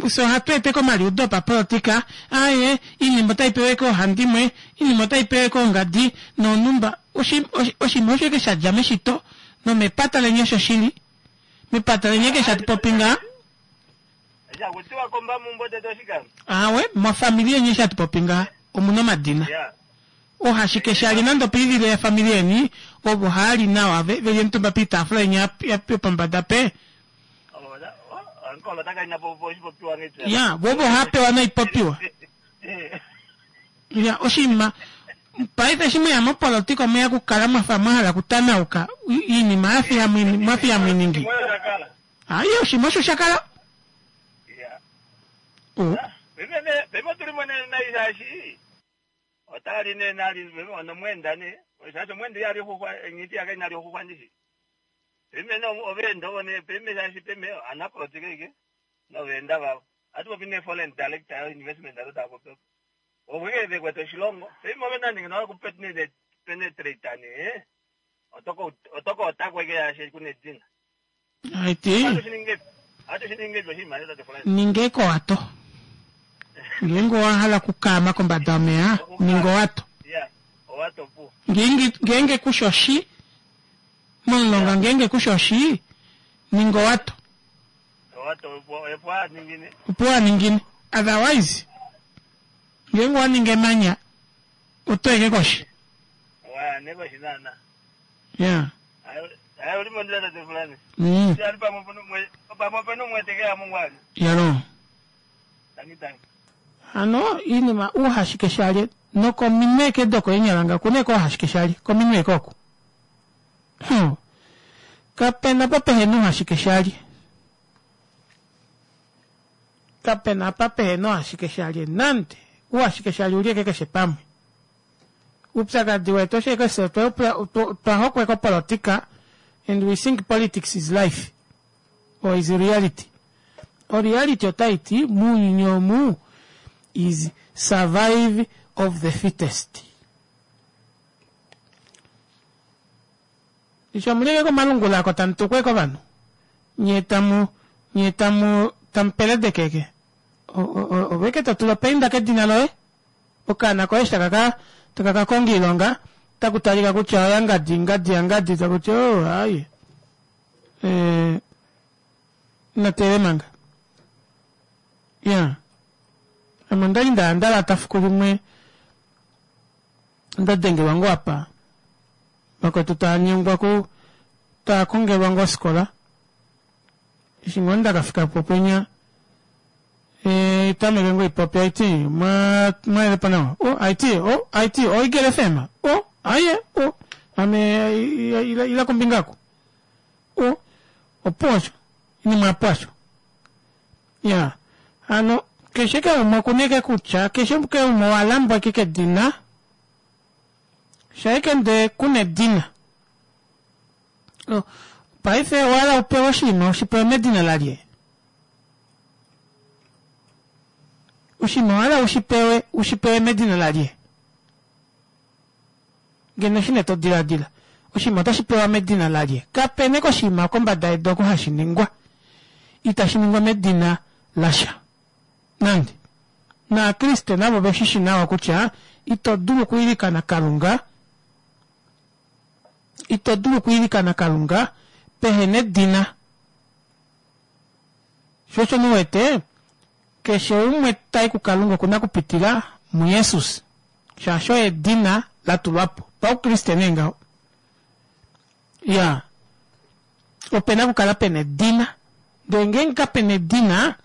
so ohatu ete komaliudo opapolitika aye iinima otai pewe koohandimwe iinima otai pewe koongadi noonumba oshinima osho eke sha dja meshito nomepata leni osho shili mepata leni eke shatu popi ngaa awe mofamili yeni eshi hatu popi ngaa omuna omadina ohashike shali nande opoivilo yefamili yeni ovo haali nawa veli omutumba piitaafula yeni yopombada pe ya vovo hapewa noipopiwa ya oshinima paife eshi mweya mopolotika omweya okukala mwafa mwa hala okutanauka iinima yafi mwafi yamwiningi aye oshinima osho sha kala otali ne nali nomwenda ne shaashi omwenda ihali xuxwa enyiti yake inali xuxwa ndishi peme no oveenda ovo ne peme shaashi peme anapolitika ike noveenda vavo hatu popi ne foreign direct investment ado tava popi ovo ike vekwete oshilongo peme ove nande ngeno vaku penetrate ne otoko otakwa ike shaashi kuna edina Aiti. Ninga ekowato. Ngeenge owa hala okukaama kombada yomeya, ninga owato. Ngeenge ngeenge kusha oshi momulonga ngeenge kusha oshi, ninga owato. Opo wa ningine. Otherwise, ngeenge owa ningi emanya, oto eke koshi. Yeah. Hayi uli mondila tate fulani. Ali pamwe pano mwe pamwe pano mwetekea Mungu ali. Yalo. Tangi tangi. Hano iinima uuhashike shalye nokominwe ke dokoinyalanga okuna eke ouhashike shalye kominwe eke oku. Hmm. Kapena pa pehena uuhashike shalye. Kapena apa pehena ouhashike shalye nande. Uuhashike shalye uli eke keshe pamwe. Uupyakadi wetu osho eke fye otwa hokwa kopolotika and we think politics is life or is reality. O reality otai ti muuyuni omu is survive of the fittest. Eshi omuleke komalungula ako tamu tukwa eke ovanhu nye tamu nye tamu tamu peledeke eke ove eke to tula opainda kedina loye Okaana koye eshi taka ka taka ka konga iilonga otaku talika kutya oya ngadi ngadi ya ngadi taku ti oh aye eh natele manga ya ame ondali nda nda lata fiku limwe nda dengelwa ngoo apa vakwetu tava nyengwa ku tava kongelwa ngoo osikola Eshi ngoo nda ka fika po penya e, tameke ngoo ipopi aiti mwa mwayelepo nawa o aiti o aiti o Eagle FM o aye o ame ila, ila kombinga ako o opo osho inima apo osho ya hano keshe ke umwe okuneke kutya keshe ke umwe owa lambwa eke kedina shaike nde kuna edina Paife owa hala u pewe oshinima ushi pewe medina lalye? Oshinima owa hala ushi pewe ushi pewe medina lalye? Ngeno oshine to diladila, oshinima otashi pewa medina lalye? Kape na oshinima kombada yedu oko hashi ningwa itashi ningwa medina lasha nande. Naakriste navo ve shi shi nawa kutya ito dulu okwiilikana Kalunga Ito dulu okwiilikana Kalunga pehe na edina. Sho osho mu wete, keshe umwe ta i kuKalunga oku na okupitila muJesus, shaashi oye edina la tulwa po. PauKriste nee ngaho. Ya. Ope na okukala pe na edina. Ndele ngeenge kape na edina,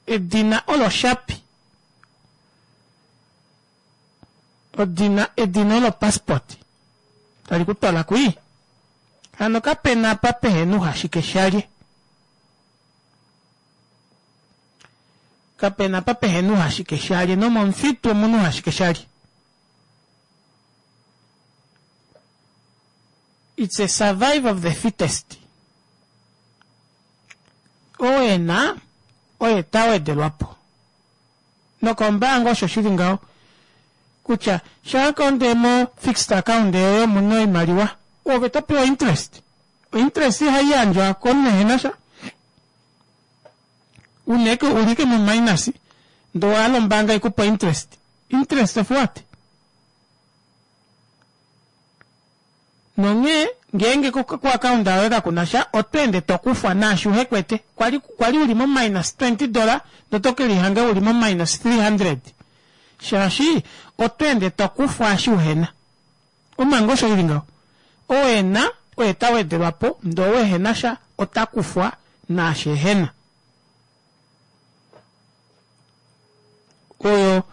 edina olo oshapi. Odina edina olo passport tali ku twala kwii. Hano kapena apa pehena uhashike shalye. Kapena apa pehena uhashike shalye nomomufitu omuna uhashike shalye. It's a survive of the fittest. Oo e na, oye ta wedelwa po. Nokombaanga osho shi li ngaho kutya shaaka onde mo fixed account yoye omu na oimaliwa, ove to pewa interest. Ointerest ihai yandjwa komunhu ehena sha. Una eke uli ike mo minus ndee owa hala ombaanga ikupe interest. Interest of what? Nonghee ngeenge koakaunda yoye kaku na sha, oto ende to kufwa naashi uhe kwete. Kwa li, kwa li u li mominus 20 dola, noto ke lihanga u li mominus 300. Shaashi oto ende to kufwa eshi uhe na. Omhango osho i li ngaho. Oo e na, oye ta wedelwa po, ndee ou ehe na sha, ota kufwa naashi ehe na. Oyo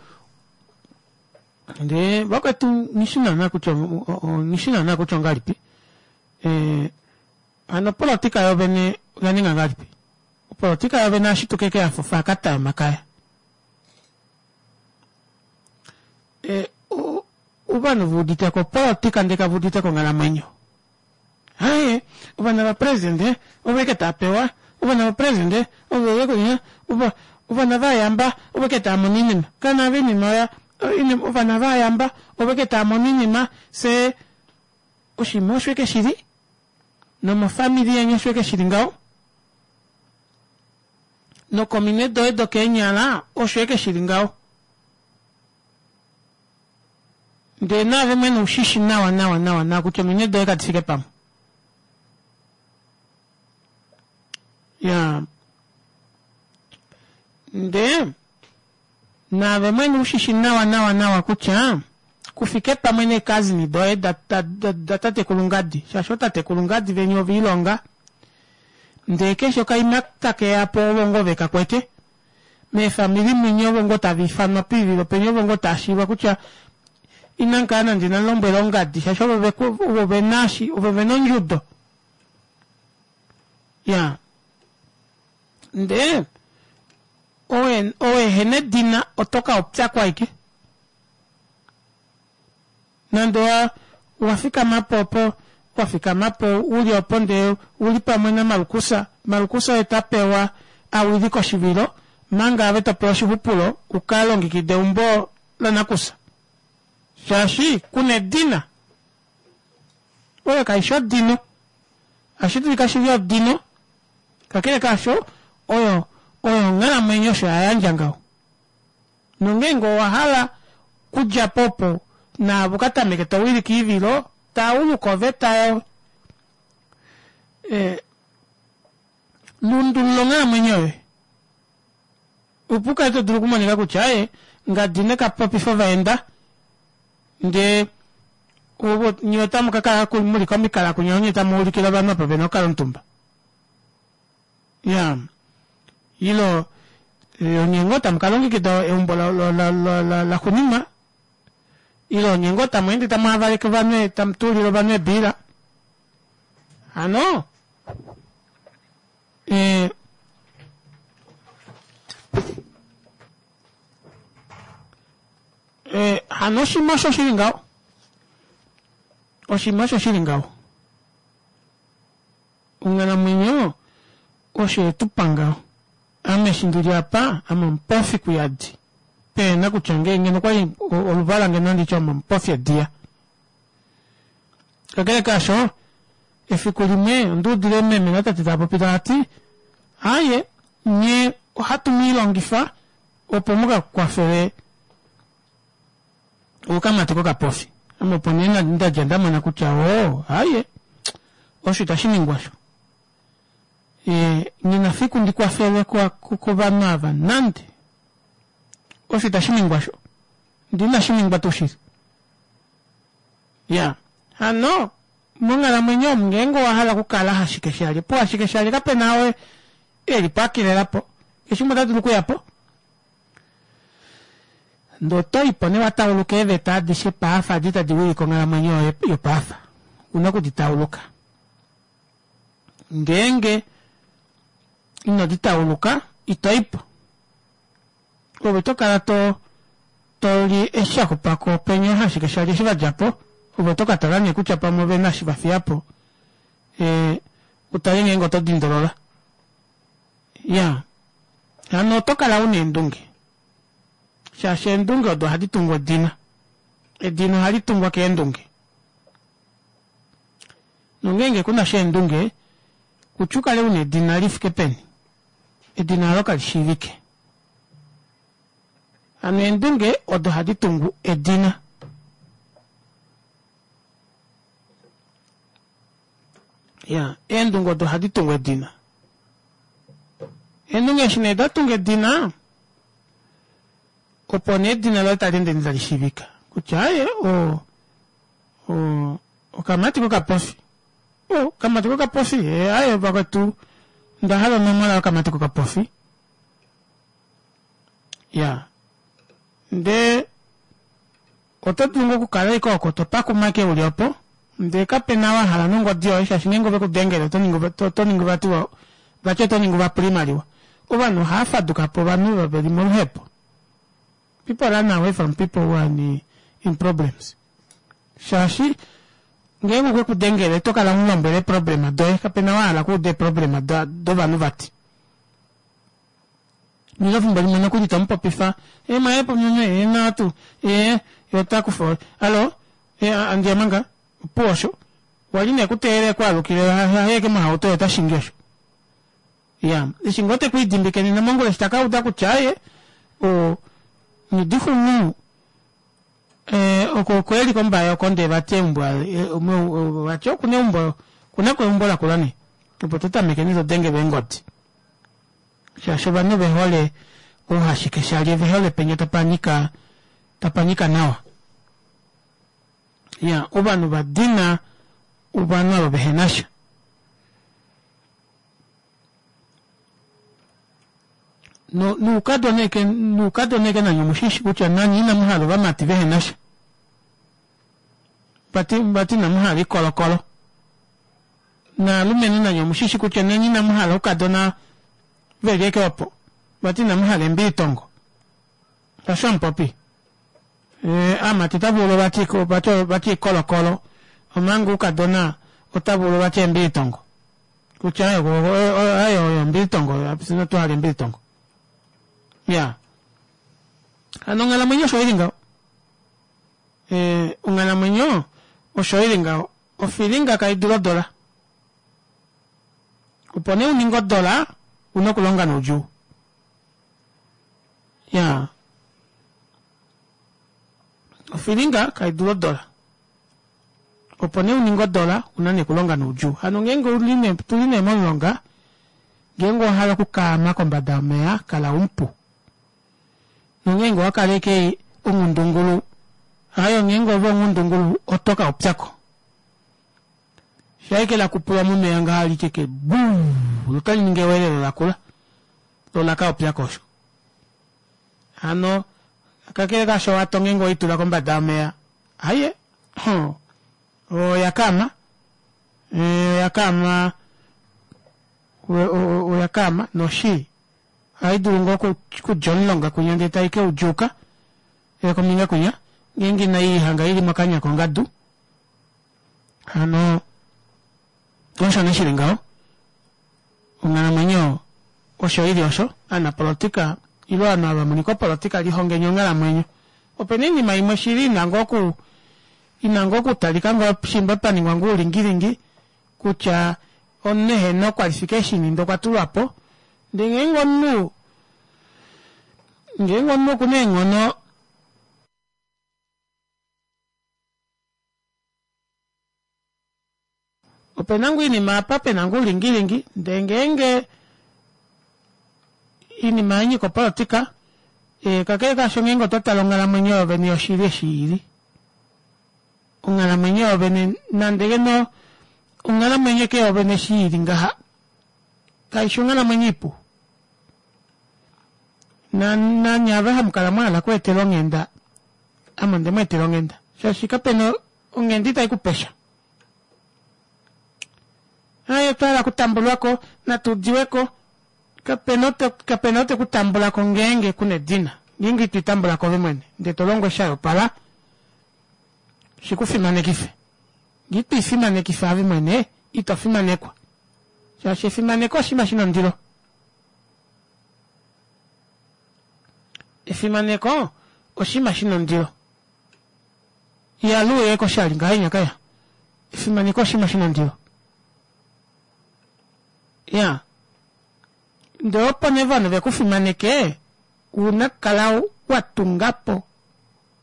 ndee vakwetu nghi shi naana kutya nghi shi naana kutya ongahelipi eh, hano opolotika yovene oya ninga ngahelipi opolotika yovene ashituke ke yafofa akata yomakaya eh, ovanhu ve udite ko opolotika ndee kave udite ko onghalamwenyo Aye, ovana vapresidente ovo eke tava pewa, ovana vapresidente ovo eke ova ovana vayamba ovo eke tava mono oinima. Kana ava oinima oya ovana vayamba ovo eke tava mono oinima fye oshinima osho eke shili nomofamili yeni osho eke shili ngaho nokominwe doye dokeenyala osho eke shili ngaho. Ndele naave mwene u shi shi nawa nawa nawa nawa kutya ominwe doye kadi fike pamwe. Ya. Ndee naave mwene u shi shi nawa nawa nawa kutya ku fike pamwe neekazini doye da, da, da, da tatekulu Ngadi, shaashi ootatekulu Ngadi veni ove ilonga, ndee keshe okaima take ya po ovo ngoo ve ka kwete. Meefamili mwinya ovo ngoo tava ifanwa poivilo penya ovo ngoo tava shiiva kutya inamu kala nande inamu lombwela ongadi shaashi ovo ve ovo ve na shi ovo ve na ondjudo. Ya. Ndee owe owe ehena edina oto ka opyakwa aike. Nande owa wa fikama po opo wa fikama po u li opo ndee u li pamwe naMalukusa, Malukusa oye ta pewa a wilike oshivilo, manga ave to pewa oshixupulo u ka longekide eumbo lanakusa. Shaashi ku na edina. Oyo kai shi odino. Ohashi dulika shi li odino. Kakele kaasho, oyo, oyo onghalamwenyo osho ya yandja ngaho. Nongeenge owa hala okudja po opo naave u ka tameke to wilike oivilo, tauluka oveta yo eh, lundulula onghalamwenyo yoye opo u kale to dulu okumonika kutya aye ngadi ne ka popifa ovaenda ndee nye otamu ka kala mu li komikala kunya onye tamu ulikile ovanhu apa ve na okukala omutumba. Ya ilo onye ngoo tamu ka longekida eumbo laxuninwa ile onye ngoo tamu ende tamu havaleke ovanhu tamu tuulile ovanhu eebiila hano eh, eh, hano oshinima osho shili ngaho oshinima osho shili ngaho Onghalamwenyo osho ye tu pa ngaho. Ame eshi ndi li apa, ame omupofi kuyadi. Pe na kutya nge ngeno okwa li oluvala ngeno nandi tye ame omupofi ediya. Kakele kaasho, efiku limwe onda udile meme natate tava popi tava ti, Aaye, nye ohatu mu ilongifa opo mu ka kwafele okamati kokapofi. Ame opo nee nda dja nda mona kutya oo aye osho itashi ningwa osho. E, nghi fiku ndi kwafelwe kovanhu ava nande. Osho itashi ningwa osho. Ndi inashi ningwa tuu shili. Ya. Hano monghalamwenyo omu ngeenge owa hala okukala hashikeshalye, puhashikeshalye kape na oo e li po a kelela po. Keshe umwe ota dulu okuya po. Ndee oto i po nee wa tauluka eeveta adishe paafa adi tadi wilike onghalamwenyo yoye yopaafa. U na oku di tauluka. Ngeenge ino di tauluka, ito i po. Ove oto kala to, to li eshi sha xupa ko penya ashike sha li eshi va dja po. Ove oto ka tala nee kutya pamwe ove na eshi va fiya po, e, u tale ngeenge oto dindolola. Ya. Hano oto kala u na eendunge. Shaashi eendunge odo ohadi tungu edina. Edina ohali tungwa keendunge. Nongeenge ku na sha eendunge, kutya u kale u na edina li fike peni, edina olo kali shiivike. Hano eendunge odo hadi tungu edina. Ya, eendunge odo ohadi tungu edina. Eendunge eshi nee da tunga edina, opo nee edina loye tali ende tali shiivika kutya aye o o okamati kokapofi. O, okamati kokapofi, e, aye vakwetu nda hala onomola yokamati kokapofi. Ya. Ndee Oto dulu ngoo okukala ashike oko to pakuma ashike uli opo, ndee kape na wa hala nongodi yoye shaashi ngeenge ove ku dengele oto ningi oto ningi vati vati oto ningi vapula oimaliwa. Ovanhu ohava faduka po ovanhu ovo veli moluhepo. People run away from people who are in, in problems. Shaashi ngeenge okwe ku dengele oto kala mu lombwele eeproblema doye, kape na wa hala okuuda eeproblema dovanhu vati. Nilo fimbo limwe nokuli to mu popifa e mwaye po e naatu e ye ota kufa alo e andiya manga opuwo osho wali ne kuteelele kwaalukile haye ke mohauto ye ota shingi osho ya eshi ngoo te ku idimbike nena mongula eshi taka uda kutya aye o nidihunu e oko oko eli kombaye oko ndee vati eumbo vati okuna eumbo okuna ko eumbo lakula ne opo to tameke ne to denge veengodi Shaashi ovanhu ove hole ouhashikeshalye, ove hole penya tapa nyika, tapa nyika nawa. Ya, ovanhu va dina ovanhu ava vehe na sha. No, noukadona eke, noukadona eke nanye omushishi kutya nanye inamu hala ovamati vehe na sha. Vati, vati inamu hala ikolokolo. Naalumenhu nanye omu shi shi kutya nanye inamu hala oukadona ve li eke opo. Vati inamu hala embilitongo. Osho amupopi. E, aamati ota vulu vati vati vati ikolokolo omanga oukadona ota vulu vati embilitongo. Kutya ayo ayo oyo ombilitongo, fye inatu hala embilitongo. Ya. Hano onghalamwenyo osho ili ngaho. E, onghalamwenyo osho ili ngaho. Ofilinga kai dulu odola. Opo nee u ninge odola, u na okulonga noudjuu. Ya. Ofilinga kai dulu odola. Opo nee u ninge odola, u na nee okulonga noudjuu. Hano ngeenge u li nee, tu li nee momulonga, ngeenge owa hala okukaama kombada yomeya, kala umupu. Nongeenge owa kala ashike onghundungulu, hayo ngeenge ove onghundungulu oto ka upya ko. Sha ashike la kupulwa momeya ngaha li tye ke buu, lotali ningi ewelelo lakula, lo la ka upya ko osho. Hano kakele kaasho owato ngeenge owei tula kombada yomeya, haye, oya kaama, oya kaama, oya kaama noshi Ohai dulu ngoo okudja omulonga kwinya ndele tai ke u djuuka kombinga kwinya, ngeenge inai hanga i li mokanya kongadu. Hano osho nee shi li ngaho. Onghalamwenyo osho i li osho. Aanapolotika ile ovanhu ava mu li kopolotika lihongeni onghalamwenyo. Ope na oinima imwe shili ina ngoo oku ina ngoo okutalika ngoo shimba pa ningwa ngoo oulingilingi kutya omunhu ehena okwalifikeshini ndee okwa tulwa po. Ndele ngeenge omunhu ngeenge omunhu oku na eenghono ope na ngoo oinima apa pe na ngoo oulingilingi ndele ngeenge oinima ya nyika opolotika eh, kakele kaasho ngeenge oto tale onghalamwenyo yovene yoshili eshi ili onghalamwenyo yovene nande ngeno onghalamwenyo ke yovene eshi ili ngaha Kai shi onghalamwenyo ipu. Na, nanye ava hamu kala mwa hala okweetela onghenda, ame onde mu etela onghenda. Shaashi kape na onghenda itai ku pe sha. Aye, otwa hala okutambulwa ko, natu udiwe ko. Kape na kape na ou te ku tambula ko ngeenge ku na edina. Ngeenge ito itambula ko ove mwene, ndele to longo sha yopala, shi ku fimanekife. Ngee ito ifimanekifa ove mwene, ito fimanekwa. Shaashi efimaneko oshinima shi na ondilo. Efimaneko oshinima shi na ondilo. Ihali uya koshali ngahenya kaya. Efimaneko oshinima shi na ondilo. Ya. Ndee opo nee ovanhu ve ku fimaneke, ouna kukala wa tunga po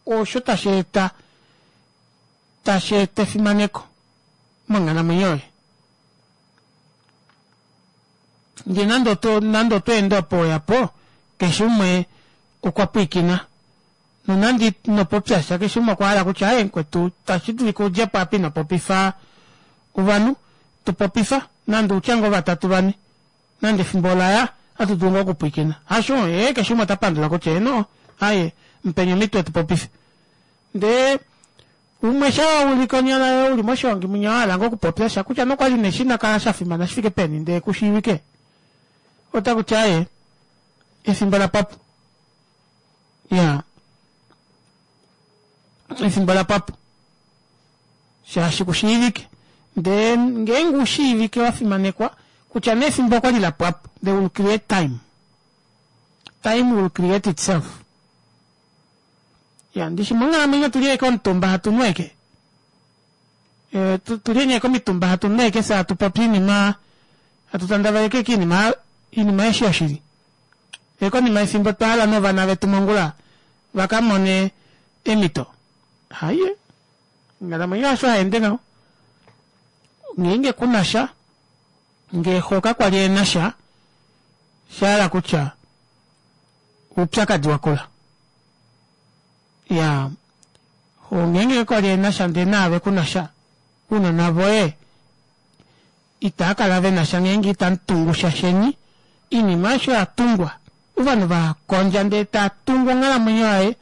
osho tashi eta tashi eta efimaneko monghalamwenyo yoye. Ndee nande oto nande oto ende opo weya po, keshe umwe okwa pwiikina. Nonande ino popya sha, keshe umwe okwa hala kutya aye mukwetu tashi dulika udje po apa ino popifa ovanhu, tu popifa nande utya ngoo vatatu vane. Nande efimbo ola ya, ohatu dulu ngoo okupwiikina. Hasho? Ee, keshe umwe ota pandula kutya heeno, aye, mupeni omhito etu popife. Ndee umwe sha wa ulike onyala yoye uli moshihongi mwinya wa hala ngoo okupopya sha kutya nokwali nee shi kala sha fimana shi fike peni ndee ku shiivike, ota kuti aye, efimbo la pwapo. Ya. Efimbo la pwapo. Shaashi ku shiivike. Ndee ngeenge u shiivike wa fimanekwa, kutya nee efimbo okwali la pwapo, they will create time. Time will create itself. Ya, ndishi monghalamwenyo otu li ashike omutumba hatu nu ashike. Eh, tu li ashike omitumba hatu nu ashike fye hatu popi iinima, hatu tandaveleke ashike iinima, iinima eshi yoshili. Ndee konima yefimbo otwa hala novana vetu mongula va ka mone eemhito. Haye, onghalamwenyo hasho hai ende ngaho. Ngeenge ku na sha, ngee xo kakwali e na sha, osha hala kutya oupyakadi wa kula. Ya, xo ngeenge kakwali e na sha ndee naave ku na sha, ounona voye itaa kala ve na sha ngeenge itamu tungu sha sheni. Oinima aishe oya tungwa. Ovanhu va kondja ndee ta tungu onghalamwenyo yaye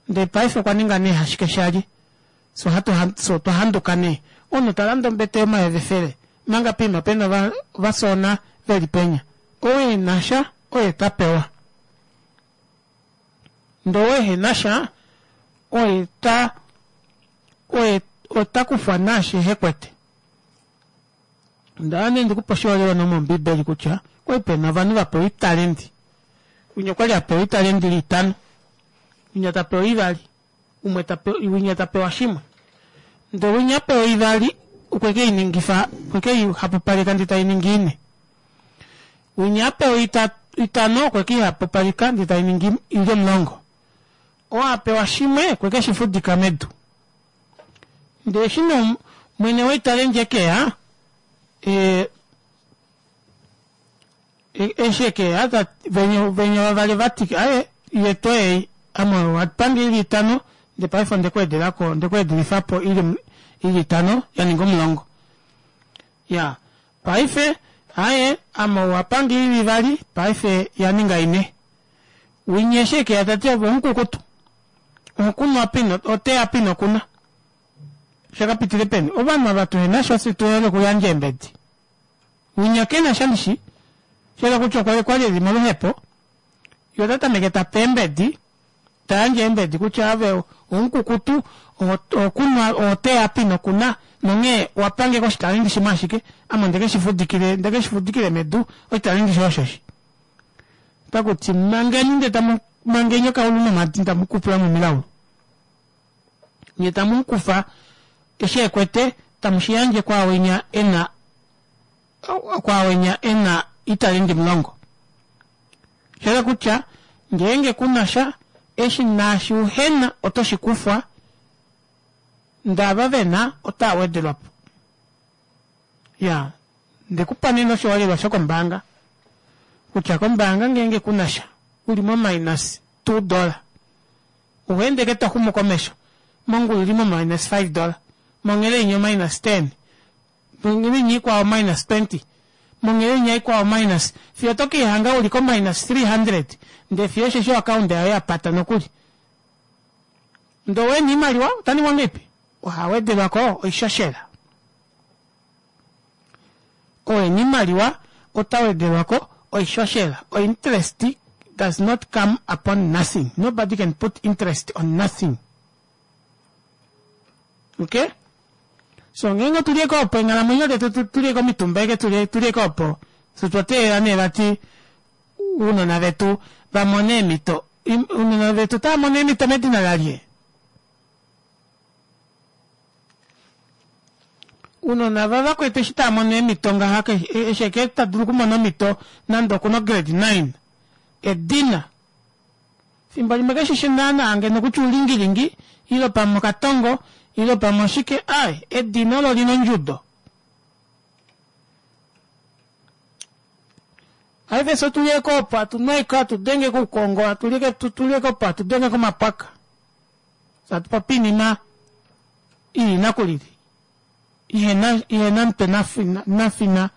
ndee paife okwa ninga nee hashike shali. Fye ohatu fye otwa handuka nee. Omunhu ta lande ombete yomayovi efele omanga poima pena ova ovasoona veli penya. Ou ena sha oye ta pewa. Ndee ou ehena sha oye ta oye ota kufwa naashi ehe kwete. Onda hala nee ndikupe oshiholelwa nomombiibeli kutya okwali pena ovanhu va pewa oitalendi. Winya okwali a pewa oitalendi ili itano, winya ta pewa ivali, umwe ta pewa, winya ta pewa shimwe. Ndele winya a pewa ivali okwe ke i ningifa, okwe ke i hapupaleka ndele tai ningi ine. Winya a pewa itano okwe ke i hapupaleka ndele tai ningi ili omulongo. Oo a pewa shimwe okwe ke shi fudika medu. Ndele eshi nee mwene woitalenti e ke ya, e, eshi e ke ya, venya, venya vavali va ti, aye, yetu ei, ame owa pange ili itano, ndele paife onde ku edela ko, onde ku edilifa po ili, ili itano, ya ninga omulongo. Ya, paife, aye, ame owa pange ili ivali, paife ya ninga ine. Winya eshi e ke ya ta ti, ove omukukutu. Okunwa pino, oteya pino kuna. Shakapitile peni? Ovanhu ava tuhena sha fye tuhele okuyandja eembedi. Winya kena sha ndishi. Shayela kutya okwa kwali eli moluhepo. Ye ota tameke ta pe eembedi, ta yandje eembedi kutya ove omukukutu, okunwa, oteya pino kuna, nonghee owa pange koshitalendi shimwe ashike, ame onde ke shi fudikile, nde ke shi fudikile medu, oshitalendi shoye oshoshi. Otaku ti, Mangeni nde tamu mangeni okaulu nomhadi tamu kupula momilaulu. Nye tamu mu kufa eshi e kwete, tamu shi yandje kwaawenya e na kwaawenya e na italenti omulongo. Osha yela kutya ngeenge ku na sha, eshi naashi uhe na oto shi kufwa, ndee ava ve na otaa wedelwa po. Ya, nde ku pa nena oshiholelwa shokombaanga kutya kombaanga ngeenge ku na sha, u li mominus $2, oho ende ashike to xumu komesho, mongula u li mominus $5, monghele inya ominus 10, monghele inya ikwao ominus 20, monghele inya ikwao ominus, fiyo oto ke lihanga u li kominus 300, ndee fiyo osheshi oakaunda yoye ya pata nokuli. Ndee ou e na oimaliwa ota ningwa ngahelipi? Oha wedelwa ko oishoshela. Ou e na oimaliwa ota wedelwa ko oishoshela. Ointerest does not come upon nothing. Nobody can put interest on nothing. Okay? So ngeenge otu li eke opo eenghalamwenyo detu tu li eke omitumba eke tu li eke opo, fye otwa teelela nee vati ounona vetu va mone eemhito. Ounona vetu otava mono eemhito medina lalye? Ounona vavakwetu eshi tava mono eemhito ngaha eshi eke ta dulu okumona omhito nande okuna ograde 9 edina fimbo limwe keshishi naana ngeno kutya oulingilingi ile pamwe okatongo ile pamwe oshike ai edina olo lina ondjudo Paife fye otu lieko opo hatu nwaiko hatu denge koukongo hatu lieke tu lieko opo hatu denge komapwaka fye hatu popi oinima ili nakulili ihena ihena mutwe nafina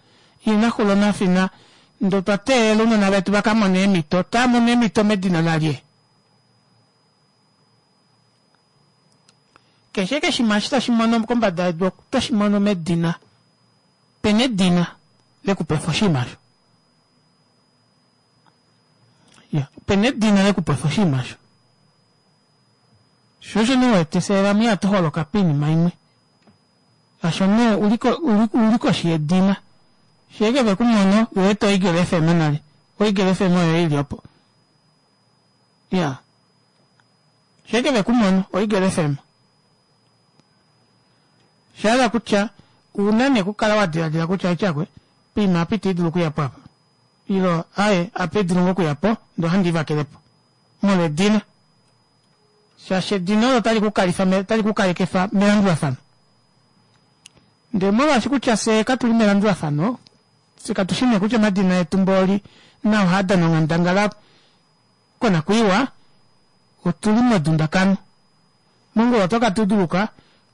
ihena xulo nafina ndee otwa teelela ounona vetu vaka mone eemhito otava mono eemhito medina lalye keshe keshima eshi tashi mono kombada yedu otashi mono medina pena edina lekupefa oshinima osho ya pena edina lekupefa oshinima osho sho osho nee wete fye vamwe ihatu holoka poinima imwe asho nee uli koshi yedina sheke ve ku mono wete oEagle FM nale oEagle FM oyo ili opo ya sheke ve ku mono oEagle FM Osha hala kutya ouna nee okukala wa diladila kutya aityakwe poima apa ita i dulu okuya po apa ilo aaye apa i dulu ngoo okuya po ndee ohandi i vakele po molwa edina shaashi edina olo otali ku kalifa otali ku kalekefa melandulafano ndee molwaashi kutya fye katu li melandulafano fye katu shi nee kutya omadina etu mbooli nao ohaa dana onghandangala konakwiiwa otu li medundakano Mongula oto ka tuduluka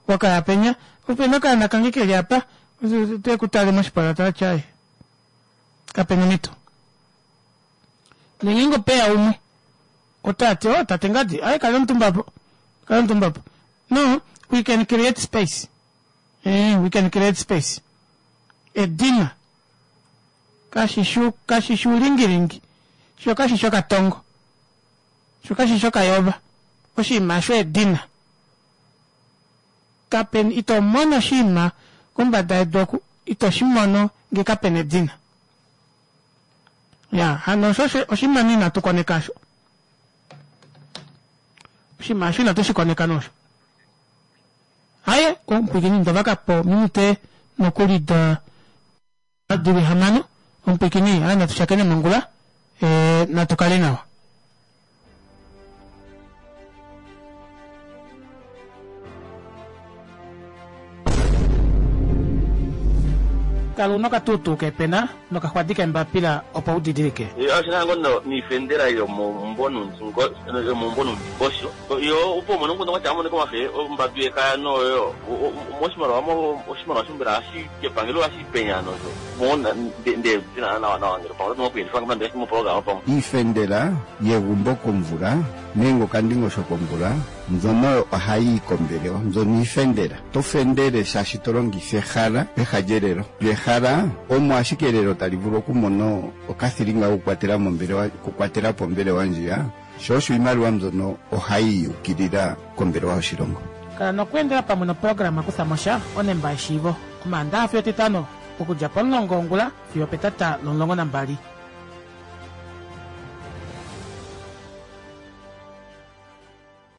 wa kaya penya, ope na okaana kange ke li apa, te ku tale moshipala ta ti, Aye, kape na omhito. Ndele ngeenge ope ya umwe, ota ti, Oh, tate Ngadi, aye, kala omutumba apo. Kala omutumba apo. No, we can create space. Eh, we can create space. Edina. Kashi shi, kashi shi uulingilingi. Sho kashi shi okatongo. Sho kashi shi okayova. Oshinima osho edina. Kape, ito mono oshinima kombada yedu oku, ito shi mono nge kape na edina. Ya, hano osho osho oshinima nee inatu koneka osho. Oshinima osho inatu shi koneka nosho. Aye, omupwilikini ndovaka po minute nokuli da Dili hamano, omupwilikini, aye natu shakene mongula, e, natu kale nawa. Kala una okatuutuu kepena nokaxwadi kembapila opo u didilike. Oshina ngo no niifendela yomomumvo nuundingosho. Yo opo mono nguno kwatya amone komafe ombadu yekaya noyo moshimaliwa mo oshimaliwa shombela hashi kepangelo hashi penya nosho mo nde tina nawa nawa ngele pamwe oto kuyelifa ngamba ndele mo program pamwe. Iifendela yegumbo komvula nenge okandingosho komvula mbyono ohayi yi kombelewa mbyono iifendela. To fendele shaashi to longitha ehala peha lyelelo. Lyo ehala omo ashike elelo tali vulu okumona okathilinga kokukwatela mombelewa okukwatela po ombelewa ndjiya. Sho osho iimaliwa mbyono ohayi yi ukilila kombelewa yoshilongo. Kala nokweendela pamwe noprograma Kutha mo sha, onemba yeshiivo, Omaandaha fiyo Etitano, okudja pomulongo wongula fiyo opetata lomulongo nambali.